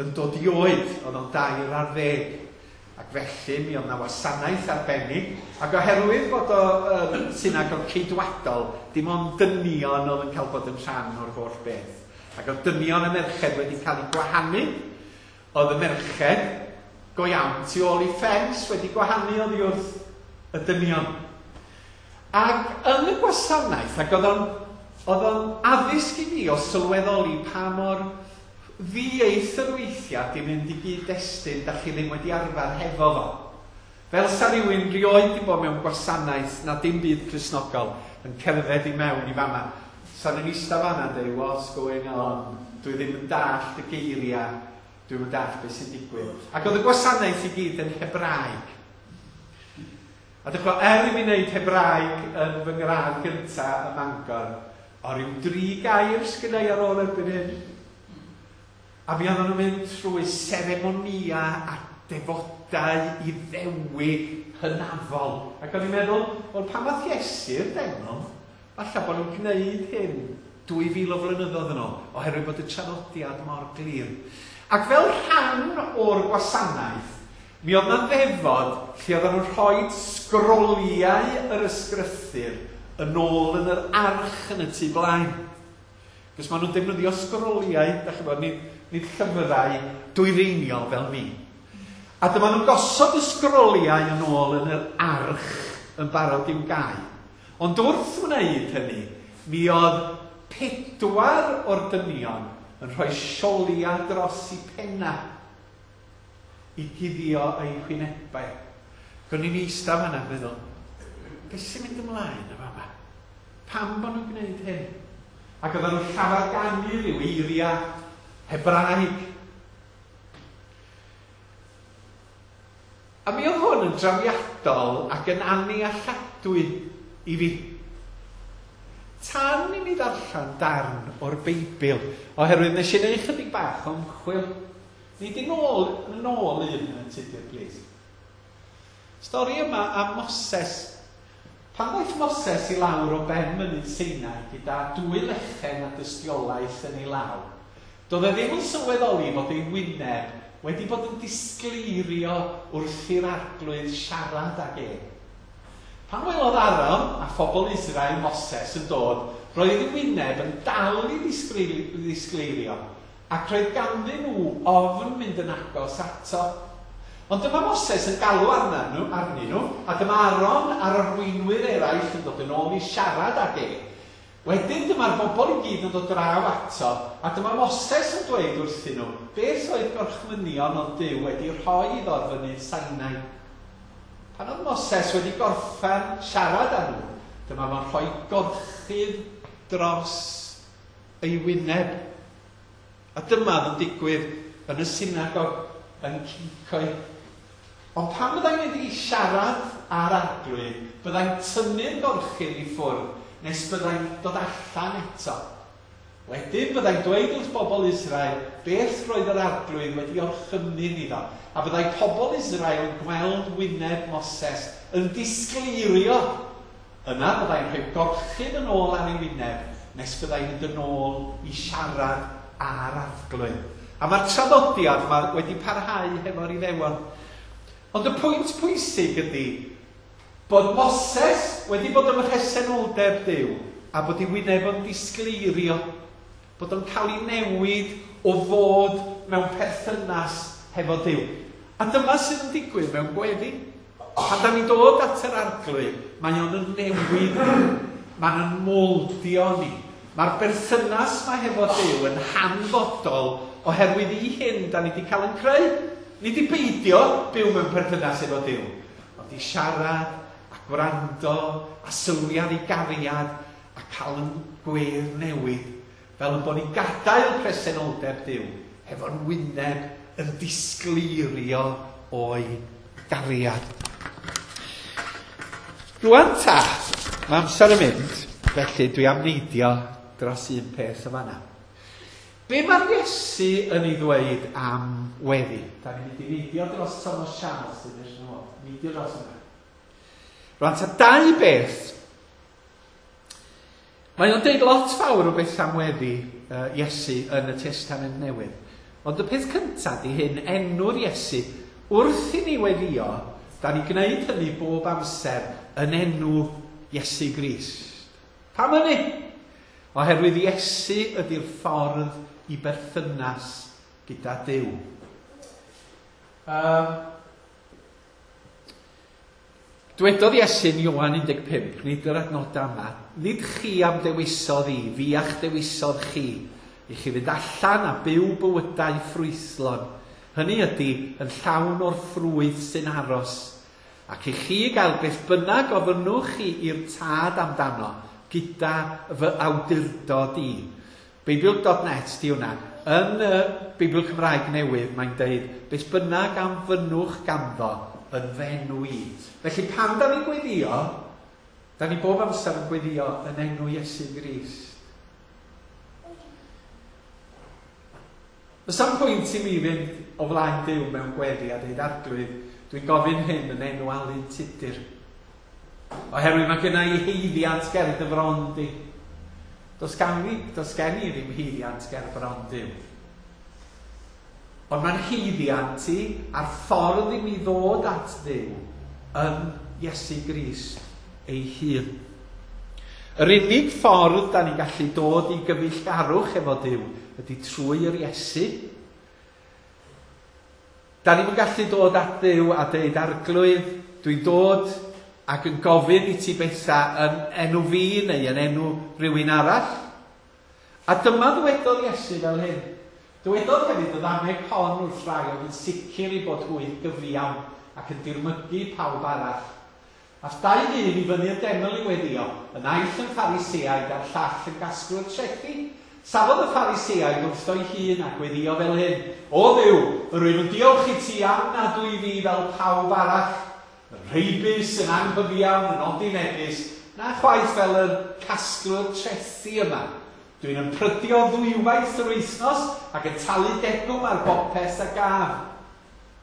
yn dod i oed, oedd o'n dair ar ddeg. Ac felly mi oedd na wasanaeth arbennig, ac oherwydd bod o um, synagog ceidwadol, dim ond dynion oedd yn cael bod yn rhan o'r holl beth. Ac oedd dynion a merched wedi cael eu gwahanu. Oedd y merched go iawn tu ôl i ffens wedi gwahanu oddi wrth y dynion. Ac yn y gwasanaeth, ac oedd o'n oedd o'n addysg i fi o sylweddoli pa mor ddieithr weithiau di mynd i gyd-destun da chi ddim wedi arfer hefo fo. Fel sa rhywun rioed di bod mewn gwasanaeth na dim byd Cristnogol yn cerdded i mewn i fama. Sa nhw'n eistedd fanna yn dweud, "What's going on?" Dwi ddim yn dallt y geiriau, dwi'm yn dallt beth sy'n digwydd. Ac oedd y gwasanaeth i gyd yn Hebraeg. A dych chi'n, er i mi wneud Hebraeg yn fy ngradd gyntaf ym Mangor, o ryw dri gair sgynna i ar ôl erbyn hyn. A mi oedden nhw'n mynd trwy seremonia a defodau Iddewig hynafol. Ac o'n i'n meddwl, wel, pan ddaeth Iesu'r deml, falle bod nhw'n gwneud hyn dwy fil o flynyddoedd yn ôl, oherwydd bod y traddodiad mor glir. Ac fel rhan o'r gwasanaeth, mi oedd 'na ddefod lle oedden nhw'n rhoi sgroliau yr ysgrythur yn ôl yn yr arch yn y tu blaen. Cos maen nhw'n defnyddio sgroliau, da chi'n bod, nid, nid llyfrau dwyreiniol fel ni. A dyma nhw'n gosod y sgroliau yn ôl yn yr arch yn barod i'w gau. Ond wrth wneud hynny, mi oedd pedwar o'r dynion yn rhoi siolia dros i penna i guddio eu hwynebau. Gwni i'n eistedd fan'na yn meddwl, beth sy'n mynd ymlaen y fama? Pam bod nhw'n gwneud hyn? Ac oedden nhw'n llafarganu rhyw eiriau Hebraeg. A mi oedd hwn yn drawiadol ac yn annealladwy i fi. Tan i mi ddarllen darn o'r Beibl, oherwydd nes i wneud chydig bach o ymchwil. Ni di nôl, nôl un yn Tudur, please. Stori yma am Moses. Pan ddaeth Moses i lawr o ben mynydd Sinai gyda dwy lechen a dystiolaeth yn ei law, doedd e ddim yn sylweddoli fod ei wyneb wedi bod yn disgleirio wrth i'r Arglwydd siarad ag e. Pan welodd Aaron a phobl Israel Moses yn dod, roedd ei wyneb yn dal i ddisgleirio, ac roedd ganddyn nhw ofn mynd yn agos ato. Ond dyma Moses yn galw arnyn nhw, arnyn nhw, a dyma Aaron a'r arweinwyr eraill yn dod yn ôl i siarad ag e. Wedyn dyma'r bobl i gyd yn dod draw ato, a dyma Moses yn dweud wrthyn nhw beth oedd gorchmynion oedd Duw wedi rhoi iddo ar fynydd Sinai. Pan oedd Moses wedi gorffen siarad â nhw, dyma fo'n rhoi gorchudd dros ei wyneb. A dyma oedd yn digwydd yn y synagog yn Cyncoed. Ond pan byddai'n mynd i siarad â'r Arglwydd, byddai'n tynnu'r gorchudd i ffwrdd nes byddai'n dod allan eto. Wedyn byddai'n dweud wrth bobl Israel beth roedd yr Arglwydd wedi orchymyn iddo, a byddai pobl Israel yn gweld wyneb Moses yn disgleirio. Yna byddai'n rhoi gorchudd yn ôl ar ei wyneb nes byddai'n mynd yn ôl i siarad â'r Arglwydd. A mae'r traddodiad yma wedi parhau hefo'r Iddewon. Ond y pwynt pwysig ydy bod Moses wedi bod ym mhresenoldeb Duw a bod ei wyneb o'n disgleirio, bod o'n cael ei newid o fod mewn perthynas hefo Duw. A dyma sydd yn digwydd mewn gweddi. Pan da ni'n dod at yr Arglwydd, mae o'n yn newid ni, mae'n yn moldio ni. Mae'r berthynas mae hefo Duw yn hanfodol oherwydd i hyn da ni wedi cael yn creu. Ni wedi beidio byw mewn perthynas efo Duw, ond i siarad a gwrando a sylwi ar ei gariad a cael yn gwedd newid. Fel yn bod ni'n gadael presenoldeb Duw hefo'n wyneb yn disgleirio o'i gariad. Rwan ta, mae amser yn mynd, felly dwi am neidio dros un peth yn fanna. Be mae'r Iesu yn ei ddweud am weddi? Da ni'n mynd i neidio dros Thomas Charles yn eich nhw. Neidio dros yna. Rwan ta, dau beth. Mae o'n deud lot fawr o beth am weddi uh, Iesu yn y Testament Newydd. Ond y peth cyntaf di hyn, enw'r Iesu, wrth i ni weddio, da ni'n gwneud hynny bob amser yn enw Iesu Grist. Pam hynny? Oherwydd Iesu ydy'r ffordd i berthynas gyda Duw. Um, Dwedodd Iesu yn Ioan un deg pump, nid yr adnodau yma, nid chi am dewisodd i, fi a'ch dewisodd chi, i chi fynd allan a byw bywydau ffrwythlon. Hynny ydy yn llawn o'r ffrwyth sy'n aros, ac i chi gael beth bynnag ofynnwch chi i'r tad amdano, gyda fy awdurdod i. Beibl dot net di hwnna. Yn y Beibl Cymraeg Newydd mae'n deud, beth bynnag am fynnwch ganddo yn f'enw i. Felly pan da ni'n gweddio, da ni bob amser yn gweddio yn enw Iesu Grist. Does am pwynt i mi fynd o flaen Duw mewn gweddi a dweud, Arglwydd, dwi'n gofyn hyn yn enw Alun Tudur. Oherwydd mae genna i haeddiant ger dy fron di. Does gan i, does gen i ddim haeddiant ger bron Duw. Ond mae'n haeddiant i a'r ffordd i mi ddod at Dduw yn Iesu Grist ei hun. Yr unig ffordd da ni'n gallu dod i gyfeillgarwch efo Duw ydy trwy yr Iesu. Da ni'n gallu dod at Dduw a deud, Arglwydd, dwi'n dod ac yn gofyn i ti bethau yn enw fi neu yn enw rhywun arall. A dyma ddwedodd Iesu fel hyn. Dywedodd hefyd y ddameg hon wrth rai oedd yn sicr i bod hwy gyfiawn ac yn dirmygu pawb arall. Ath dau ddyn i fyny'r deml i weddio, y naill yn Phariseaid a'r llall yn gasglwr trethi. Safodd y Phariseaid wrtho'i hun a gweddio fel hyn. O Dduw, yr wyf yn diolch i ti am nad wyf fi fel pawb arall, yn rheibus, yn anghyfiawn, yn odinebus, na chwaith fel y casglwr trethi yma. Dwi'n ymprydio ddwywaith yr wythnos ac yn talu degwm ar bopeth a gaf.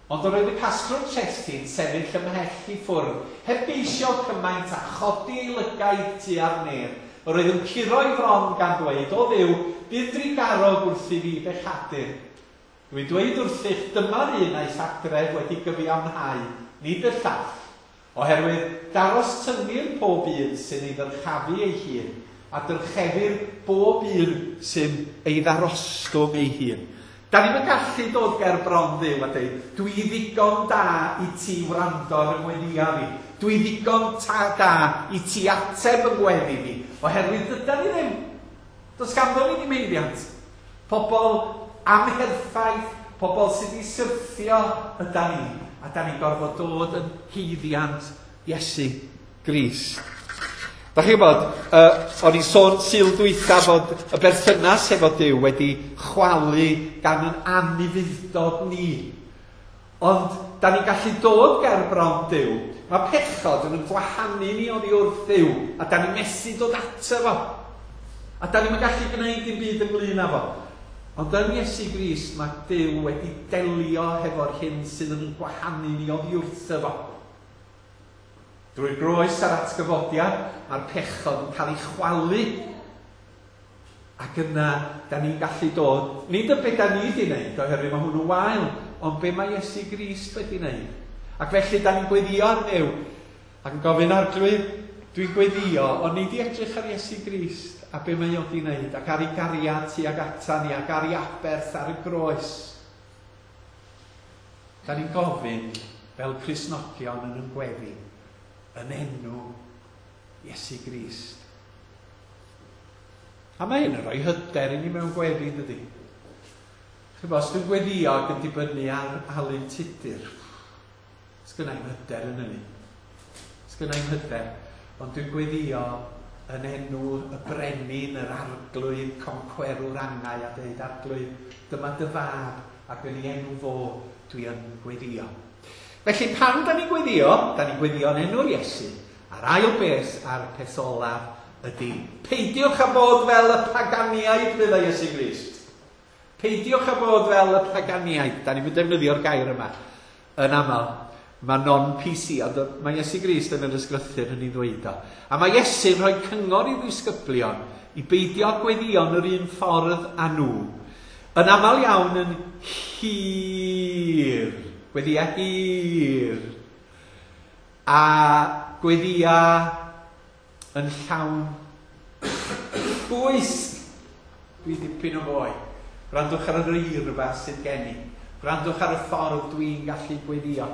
Ond yr oedd y casglwr trethi'n sefyll ymhell i ffwrdd, heb geisio cymaint a chodi ei lygaid tua'r nef. Yr oedd yn curo'i fron gan ddweud, o Dduw, bydd drugarog wrth i fi bechadur. Dwi'n dweud wrthych, dyma'r un a'i adref wedi gyfiawnhau, nid y llall, oherwydd daros tyngir pob un sy'n ei ddyrchafu ei hun, a dyrchefir bob un sy'n ei ddarostwng ei hun. Da ni'n gallu dod ger bron Dduw a dweud, dwi ddigon da i ti wrando ar y ngweddia fi. Dwi ddigon ta da i ti ateb y ngweddi fi. Oherwydd dyda ni ddim. Does ganddo ni ddim haeddiant. Pobl amherffaith, pobl sydd wedi syrthio yda ni. A da ni'n gorfod dod yn haeddiant Iesu Grist. Da chi'n gwybod, uh, o'n i'n sôn Sul dwytha fod y berthynas efo Duw wedi chwalu gan yn anufudd-dod ni. Ond da ni'n gallu dod ger bron Duw. Mae pechod yn gwahanu ni oddi wrth Dduw, a da ni'n methu dod ato fo. A da ni'n gallu gwneud dim byd ynglyn â fo. Ond yn Iesu Grist mae Duw wedi delio hefo'r hyn sydd yn gwahanu ni oddi wrtho fo. Drwy'r groes a'r atgyfodiad, mae'r pechod yn cael ei chwalu. Ac yna, da ni'n gallu dod, nid y beth da ni wedi wneud, oherwydd mae hwnnw wael, ond be mae Iesu Grist wedi wneud. Ac felly, da ni'n gweddio ar Dduw, ac yn gofyn, Arglwydd, dwi'n gweddio, ond nid i edrych ar Iesu Grist a be mae o wedi wneud, ac ar ei gariad tuag ata ni, ac ar ei aberth ar y groes. Da ni'n gofyn, fel Cristnogion yn yn gweddi, yn enw Iesu Grist. A mae hyn yn rhoi hyder i ni mewn gweddi, dydy? Ch'bo, os dwi'n gweddio ac yn dibynnu ar Alun Tudur, sgynna i'm hyder yn hynny. Sgynna i'm hyder, ond dwi'n gweddio yn enw y brenin, yr arglwydd, concwerwr angau, a dweud, "Arglwydd, dyma dy fab, ac yn ei enw fo dwi yn gweddio." Felly pan da ni'n gweddio, da ni'n gweddio yn enw'r Iesu. A'r ail beth a'r peth olaf ydy, peidiwch â bod fel y paganiaid, meddai Iesu Grist. Peidiwch â bod fel y paganiaid. Da ni'n defnyddio'r gair yma yn aml. Mae non-P C, ond mae Iesu Grist yn yr ysgrythur yn ei ddweud o. A mae Iesu'n rhoi cyngor i ddisgyblion i beidio gweddïo'n yr un ffordd â nhw. Yn aml iawn yn hir, gweddia hir, a gweddia yn llawn bwysg. Dwi dipyn o foi. Gwrandwch ar yr eirfa sydd gen i. Gwrandwch ar y ffordd dwi'n gallu gweddio.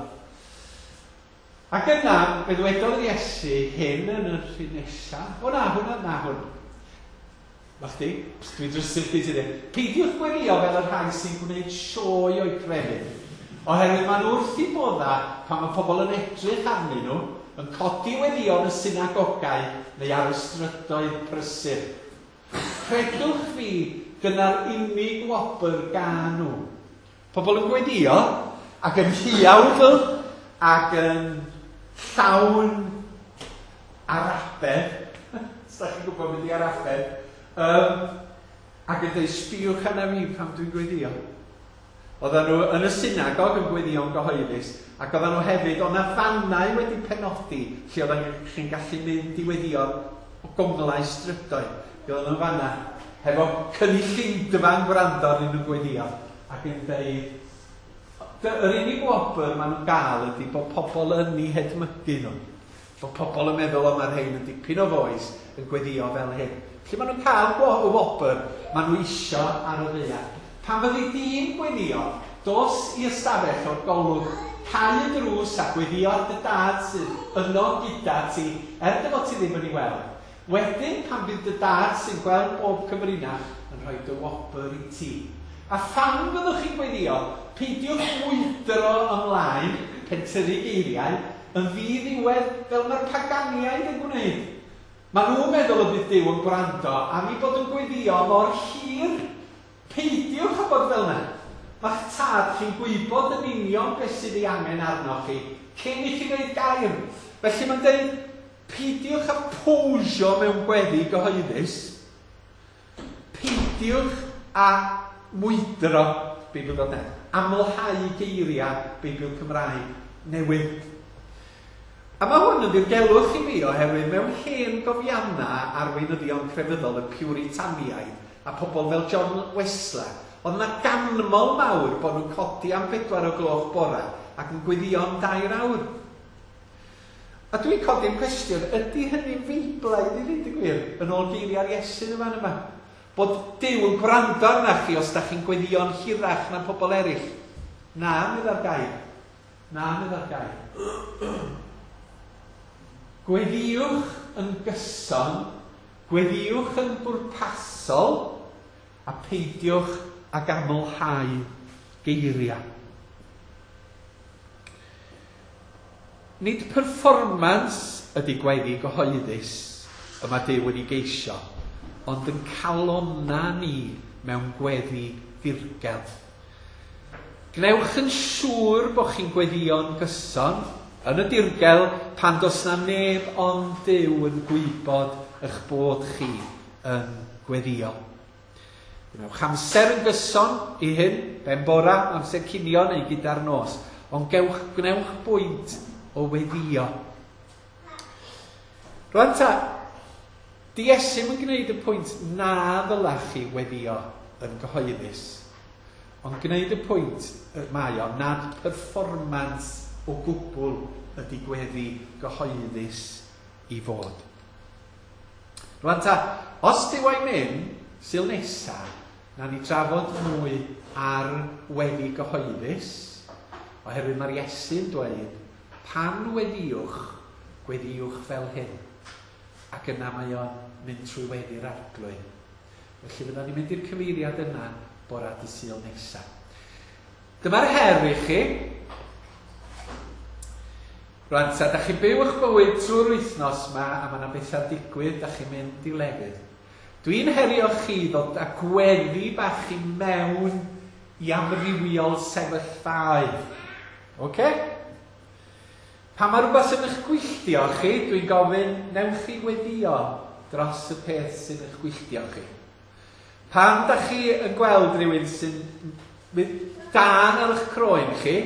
Ac yna, fe ddwedodd Iesu hyn yn yr un nesaf. O na, hwnna, na hwn. Ma chdi, dwi'n drysu chdi ti dweud. Peidiwch gweddio fel y rhai sy'n gwneud sioe o'i crefydd. Oherwydd maen nhw wrth i bodda pan mae pobl yn edrych arnyn nhw, yn codi weddïon y synagogau neu ar y strydoedd prysur. Credwch fi, dyna'r unig wobr gan nhw. Pobl yn gweddio ac yn hiawdl ac yn llawn arabedd. Os da chi'n gwybod beth i arabedd. Um, ac yn dweud, sbiwch arna fi pan dwi'n gweddio. Oedden nhw yn y synagog yn gweddio'n gyhoeddus, ac oedden nhw hefyd, oedd 'na fannau wedi penodi lle oedden chi'n gallu mynd i weddio o gonglau strydoedd. Oedden nhw fanna, hefo cynulleidfa'n gwrando arnyn nhw'n gweddio, ac yn dweud, yr unig wobr maen nhw'n gael ydy bod pobl yn eu hedmygu nhw. Bod pobl yn meddwl, o, mae'r rhain yn dipyn o fois yn gweddio fel hyn. Felly maen nhw'n cael y wobr maen nhw isio ar y ddaear. Pan fyddi di'n gweddio, dos i ystafell o'r golwg, cau y drws a gweddio ar dy dad sydd yno gyda ti, er dy fod ti ddim yn ei weld. Wedyn, pan bydd dy dad sy'n gweld bob cyfrinach yn rhoi dy wobr i ti. A phan fyddwch chi'n gweddio, peidiwch mwydro ymlaen, pentyrru geiriau, yn ddiddiwedd fel mae'r paganiaid yn gwneud. Maen nhw'n meddwl y bydd Duw yn gwrando am eu bod yn gweddio mor hir. Peidiwch â bod fel yna. Mae'ch tad chi'n gwybod yn union beth sydd ei angen arnoch chi cyn i chi ddeud gair. Felly mae'n dweud, peidiwch â posio mewn gweddi gyhoeddus. Peidiwch â mwydro, Beibl dot net, amlhau geiriau Beibl Cymraeg newydd. A mae hwn yn ddirgelwch i fi oherwydd mewn hen gofiannau arweinyddion crefyddol y Puritaniaid a pobl fel John Wesley, oedd yna ganmol mawr bod nhw'n codi am bedwar o gloch bora ac yn gweddio am dair awr. A dwi'n codi'n cwestiwn, ydy hynny'n feiblaidd i ddweud y gwir, yn ôl geiriau'r Iesu yn y fan yma? Bod Duw yn gwrando arnach chi os da chi'n gweddio'n hirach na pobl eraill. Na, medda'r gair. Na, medda'r gair. Gweddiwch yn gyson, gweddiwch yn bwrpasol, a peidiwch ag amlhau geiriau. Nid performance ydy gweddi gyhoeddus y mae Duw wedi geisio, ond yn calonna ni mewn gweddi ddirgel. Gwnewch yn siŵr bod chi'n gweddio'n gyson yn y dirgel pan does na neb ond Duw yn gwybod eich bod chi yn gweddio. Gwnewch amser yn gyson i hyn, ben bora, amser cinio neu gyda'r nos, ond gewch, gwnewch bwynt o weddio. Rwan ta, di Iesu yn gwneud y pwynt na ddylech chi weddio yn gyhoeddus, ond gwneud y pwynt mae o nad performance o gwbl ydy gweddi gyhoeddus i fod. Rwan ta, os Duw a'i mynd, Sul nesa, na ni drafod mwy ar weddi gyhoeddus, oherwydd mae'r Iesu'n dweud, pan weddiwch, gweddiwch fel hyn. Ac yna mae o'n mynd trwy weddi'r Arglwydd. Felly fydda ni'n mynd i'r cyfeiriad yna bora dy Sul nesa. Dyma'r her i chi. Rwan ta, da chi'n byw eich bywyd trwy'r wythnos yma a mae yna bethau'n digwydd, da chi'n mynd i lefydd. Dwi'n herio chi ddod â gweddi bach i mewn i amrywiol sefyllfaoedd. Oce? Pan mae rhywbeth yn eich gwylltio chi, dwi'n gofyn, newch chi weddio dros y peth sy'n eich gwylltio chi. Pan da chi yn gweld rhywun sy'n mynd dan ar eich croen chi,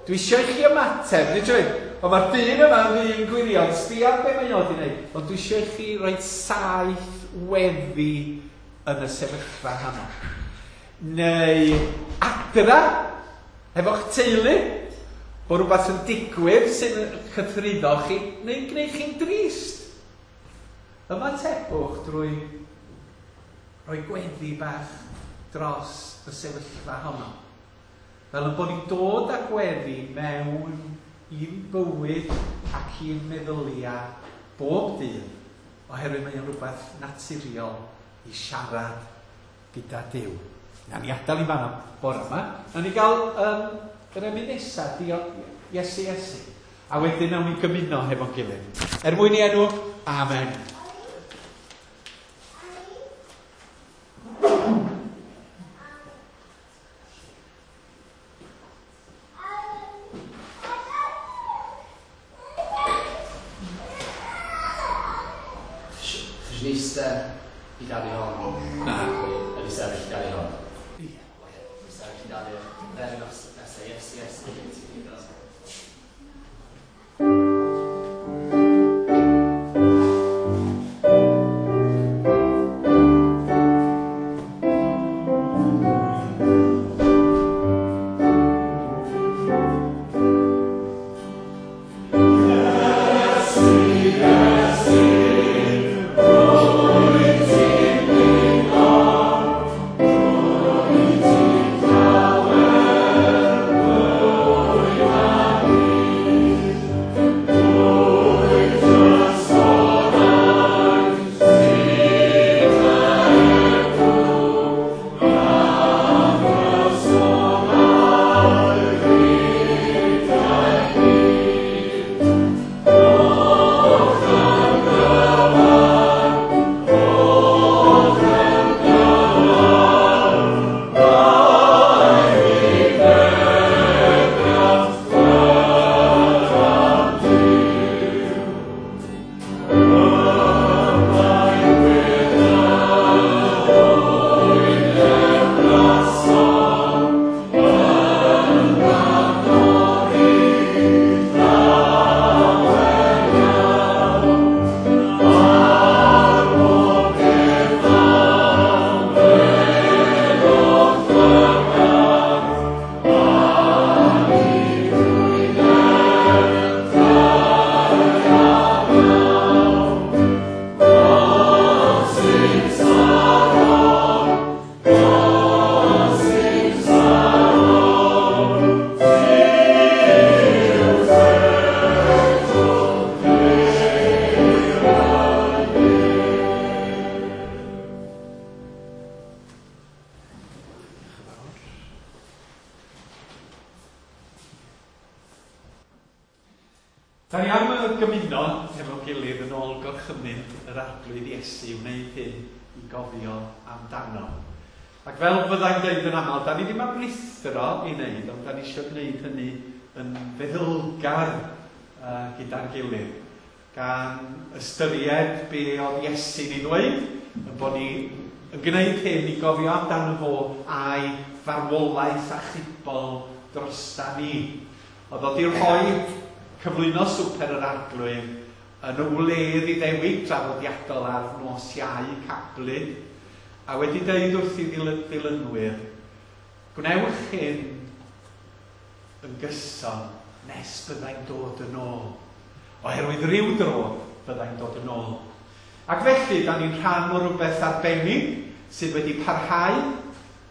dwi eisiau i chi ymateb, nid yw'n, ond mae'r dyn yma yn ddyn gwirion, sbia be mae o wedi wneud, ond dwi eisiau i chi roi saith weddi yn y sefyllfa honno. Neu adra, efo'ch teulu, bod rhywbeth yn digwydd sy'n cythruddo chi, neu'n gwneud chi'n drist. Ymatebwch drwy rhoi gweddi bach dros y sefyllfa honno. Fel yn bod ni'n dod â gweddi mewn i'n bywyd ac i'n meddyliau bob dydd, oherwydd mae'n rhywbeth naturiol i siarad gyda Duw. Na ni adael i fan'na bore yma. Na ni gael um, yr emyn nesaf, Iesu, Iesu. A wedyn nawn ni gymuno hefo'n gilydd. Er mwyn i enw, amen. Chi eistedd i gael hon? Na. Ydy sefyll i gael hon? Ie. Oce, sefyll i gael hon. Then nesa, yes, yes. Da ni am gymuno hefo'n gilydd yn ôl gorchymyn yr Arglwydd Iesu i wneud hyn i gofio amdano. Ac fel fyddai'n dweud yn aml, da ni ddim am ruthro i wneud, ond da ni eisiau gwneud hynny yn feddylgar uh, gyda'n gilydd, gan ystyried be oedd Iesu'n ei ddweud, yn bod ni yn gwneud hyn i gofio amdano fo a'i farwolaeth achubol drosta ni. Oedd o 'di rhoi cyflwyno swper yr Arglwydd yn y wledd Iddewig draddodiadol ar nos Iau Cablu, a wedi dweud wrth i ddilynwyr, gwnewch hyn yn gyson nes byddai'n dod yn ôl. Oherwydd rhyw dro byddai'n dod yn ôl. Ac felly, da ni'n rhan o rhywbeth arbennig sydd wedi parhau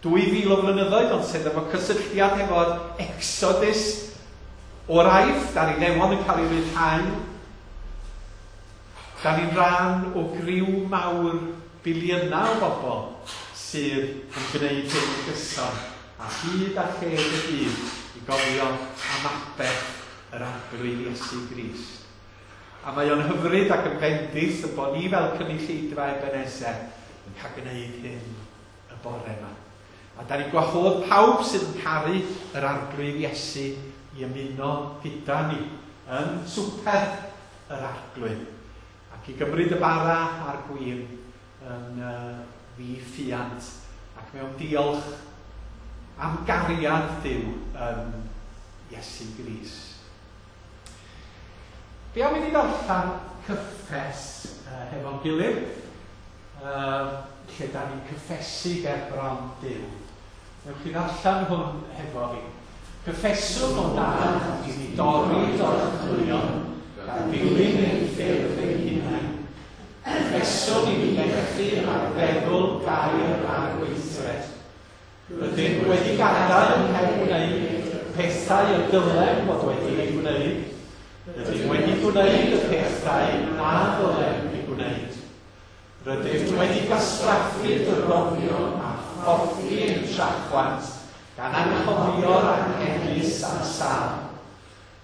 dwy fil o flynyddoedd, ond sydd efo cysylltiad efo'r Exodus o'r Aifft, a'r Iddewon yn cael ei ryddhau. Da ni'n rhan o griw mawr biliynau o bobl sydd yn gwneud hyn yn gyson a hyd a lled y byd i gofio am aberth yr Arglwydd Iesu Grist. A mae o'n hyfryd ac yn fendith y bod ni fel cynulleidfa Ebeneser yn cael gwneud hyn y bore yma. A da ni'n gwahodd pawb sydd yn caru yr Arglwydd Iesu i ymuno gyda ni yn swper yr Arglwydd ac i gymryd y bara a'r gwin yn uh, ddiffuant ac mewn diolch am gariad Duw yn Iesu Grist. Be am i ni ddarllen cyffes uh, hefo'n gilydd, uh, lle da ni'n cyffesu ger bron Duw. Newch chi ddarllen hwn hefo fi. Cyffeswn o Dad i ni dorri dorchwyon, gan ddilyn ein ffyrdd ein hunain. Cyffeswn i ni methu ar feddwl, gair a gweithred. Rydym wedi gadael heb wneud pethau y dylem fod wedi ei gwneud. Rydym wedi gwneud y pethau na ddylem ei gwneud. Rydym wedi gwastraffu dyroddion a phorthi ein trachwant gan anghofio'r anghenus a'r sâl.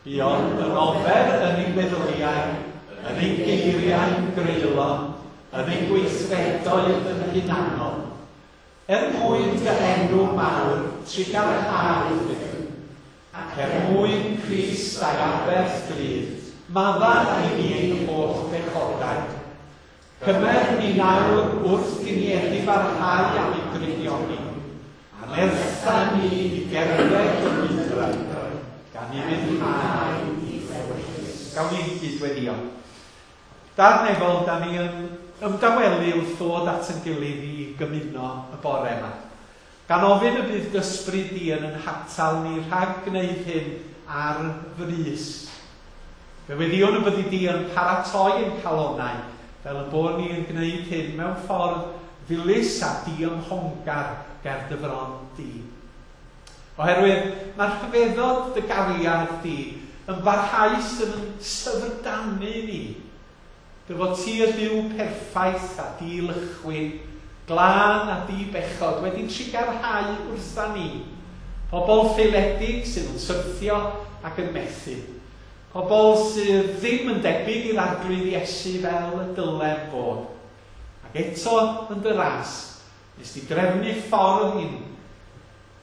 Buom yn ofer yn ein meddyliau, yn ein geiriau'n greulon, yn ein gweithredoedd yn hunanol. Er mwyn dy enw mawr, trugarhau Dduw, ac er mwyn Crist a'i aberth glyd, madda i ni ein holl bechodau. Cymer ni nawr wrth i ni edifarhau am ei drygioni, a nertha ni i gerdded y lwybrau, gan i ufuddhau i ddewis. Gawn ni gydweddïo. Dad nefol, da ni yn ymdawelu wrth ddod at yn gilydd i gymuno y bore yma. Gan ofyn y bydd ysbryd di yn yn hatal ni rhag gwneud hyn ar frys. Fe weddïwn y byddi di yn paratoi ein calonnau, fel y bod ni yn gwneud hyn mewn ffordd ddilys a diymhongar ger dy fron di. Oherwydd mae'r rhyfeddod dy gariad di yn barhaus yn syfrdanu ni. Dy fod ti y Duw perffaith a dilychwyn, glân a dibechod wedi trugarhau wrtha ni. Pobl ffaeledig sydd yn syrthio ac yn methu. Pobl sydd ddim yn debyg i'r Arglwydd Iesu fel y dylem fod. Ac eto yn dy ras, nes di drefnu ffordd i'n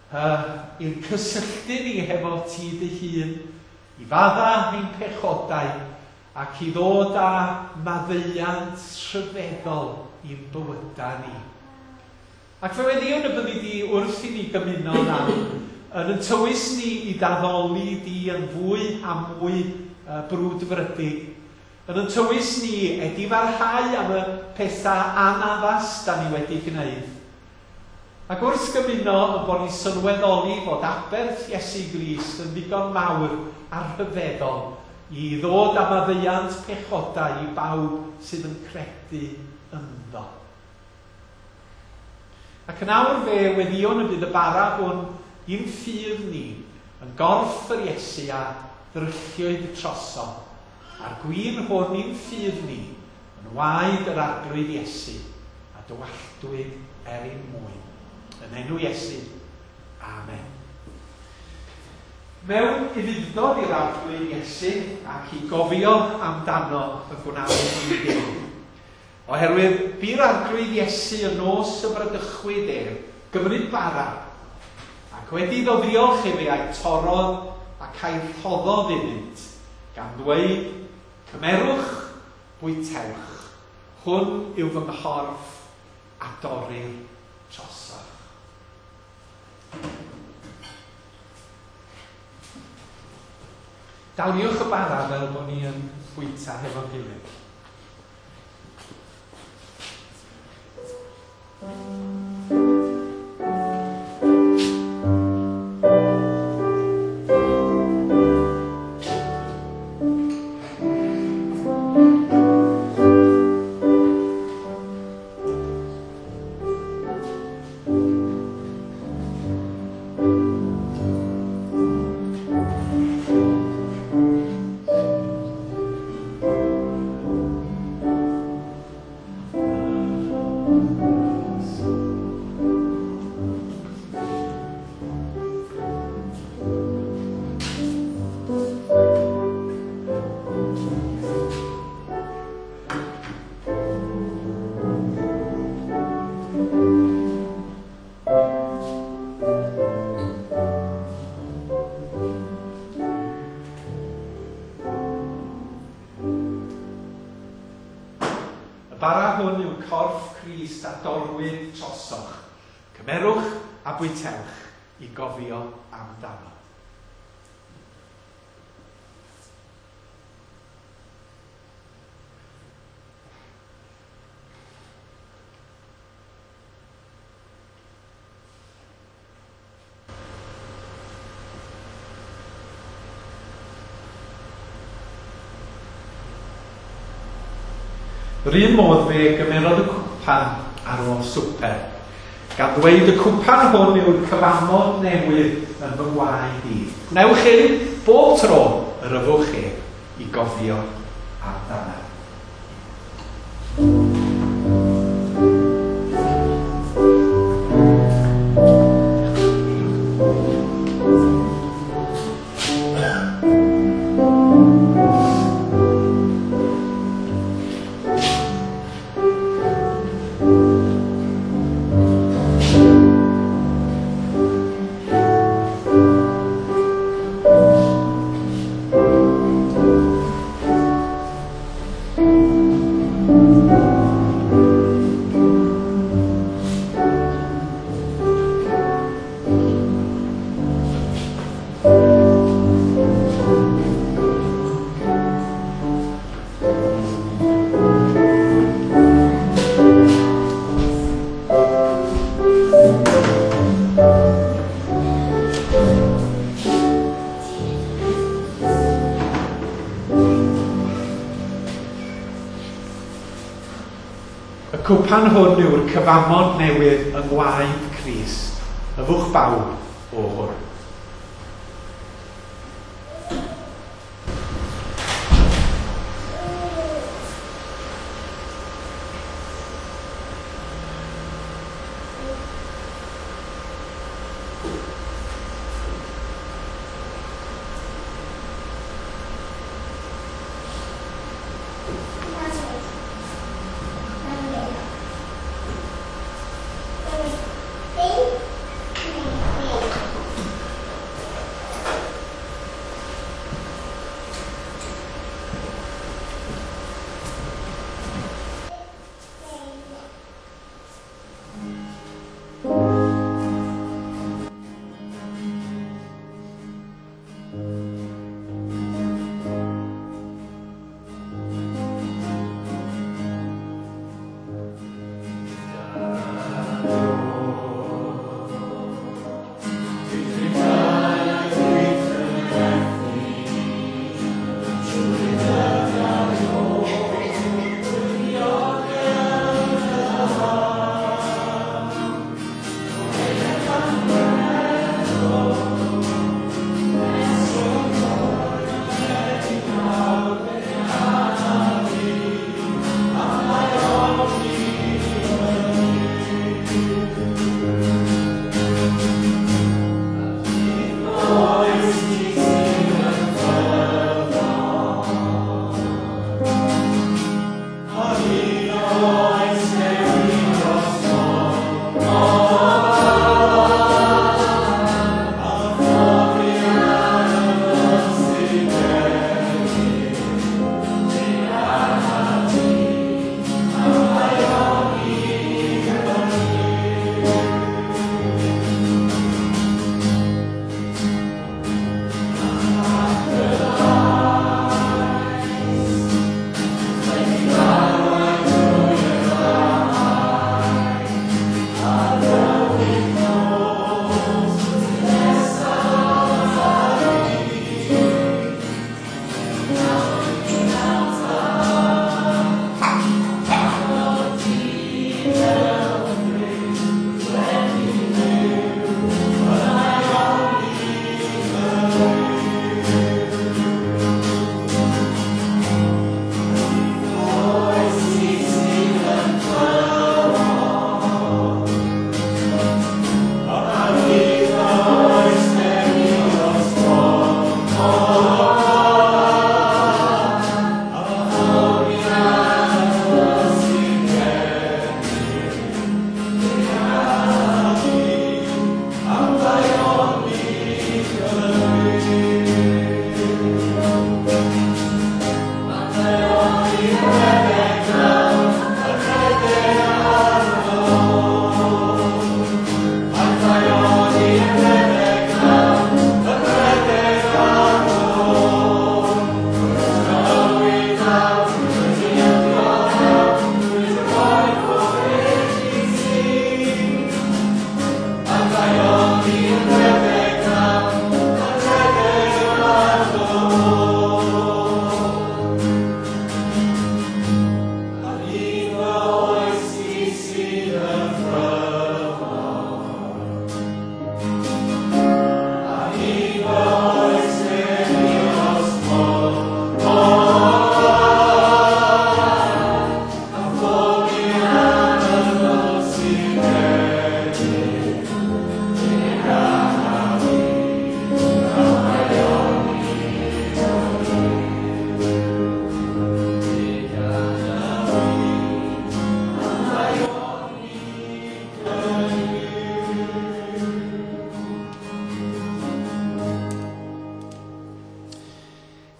uh, i'n cysylltu ni hefo ti dy hun, i fadda ein pechodau ac i ddod â maddeuant rhyfeddol i'n bywydau ni. Ac fe weddïwn y byddi di wrth i ni gymuno nawr, yn yn tywys ni i daddoli di yn fwy a mwy uh, brwdfrydig, yn yn tywys ni edifarhau am y pethau anaddas da ni wedi gwneud. Ac wrth gymuno yn bod ni'n sylweddoli fod aberth Iesu Grist yn ddigon mawr a rhyfeddol i ddod â maddeuant pechodau i bawb sydd yn credu ynddo. Ac yn awr fe weddïwn y bydd y bara hwn i'n ffydd ni yn gorff yr Iesu a ddrylliwyd troso, a'r gwin hwn i'n ffydd ni yn waed yr Arglwydd Iesu a dywalltwyd er ein mwyn. Yn enw Iesu, amen. Mewn ufudd-dod i'r Arglwydd Iesu ac i gofio amdano y gwnawn ni hyn. Oherwydd bu'r Arglwydd Iesu y nos y bradychwyd ef, gymryd bara, ac wedi iddo ddiolch iddi a'i torrodd ac a'i rhoddodd iddynt, gan ddweud, cymerwch, bwytewch, hwn yw fy nghorff a dorrir trosoch. Daliwch y bara fel bod ni yn bwyta hefo'n gilydd. Thank you. Crist a dorwyd trosoch. Cymerwch a bwytewch i gofio amdano. Yr un modd fe gymerodd y cwpan ar ôl swper, gan ddweud y cwpan hwn yw'r cyfamod newydd yn fy ngwaed i. Gwnewch hyn bob tro yr yfwch ef i gofio amdano. Y cwpan hwn yw'r cyfamod newydd yng ngwaed Crist. Yfwch bawb o hwn.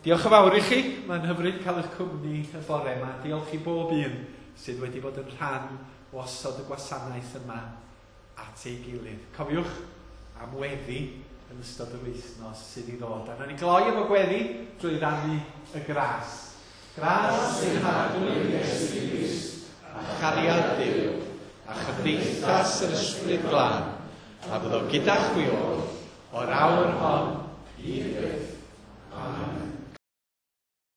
Diolch yn fawr i chi. Mae'n hyfryd cael eich cwmni y bore yma. Diolch i bob un sydd wedi bod yn rhan o osod y gwasanaeth yma at ei gilydd. Cofiwch am weddi yn ystod yr wythnos sydd i ddod. A nawn ni gloi efo gweddi drwy rannu y gras. Gras ein Harglwydd Iesu Grist, a chariad Duw, a chymdeithas yr Ysbryd Glân, a fyddo gyda chwi oll, o'r awr hon i byth. Amen.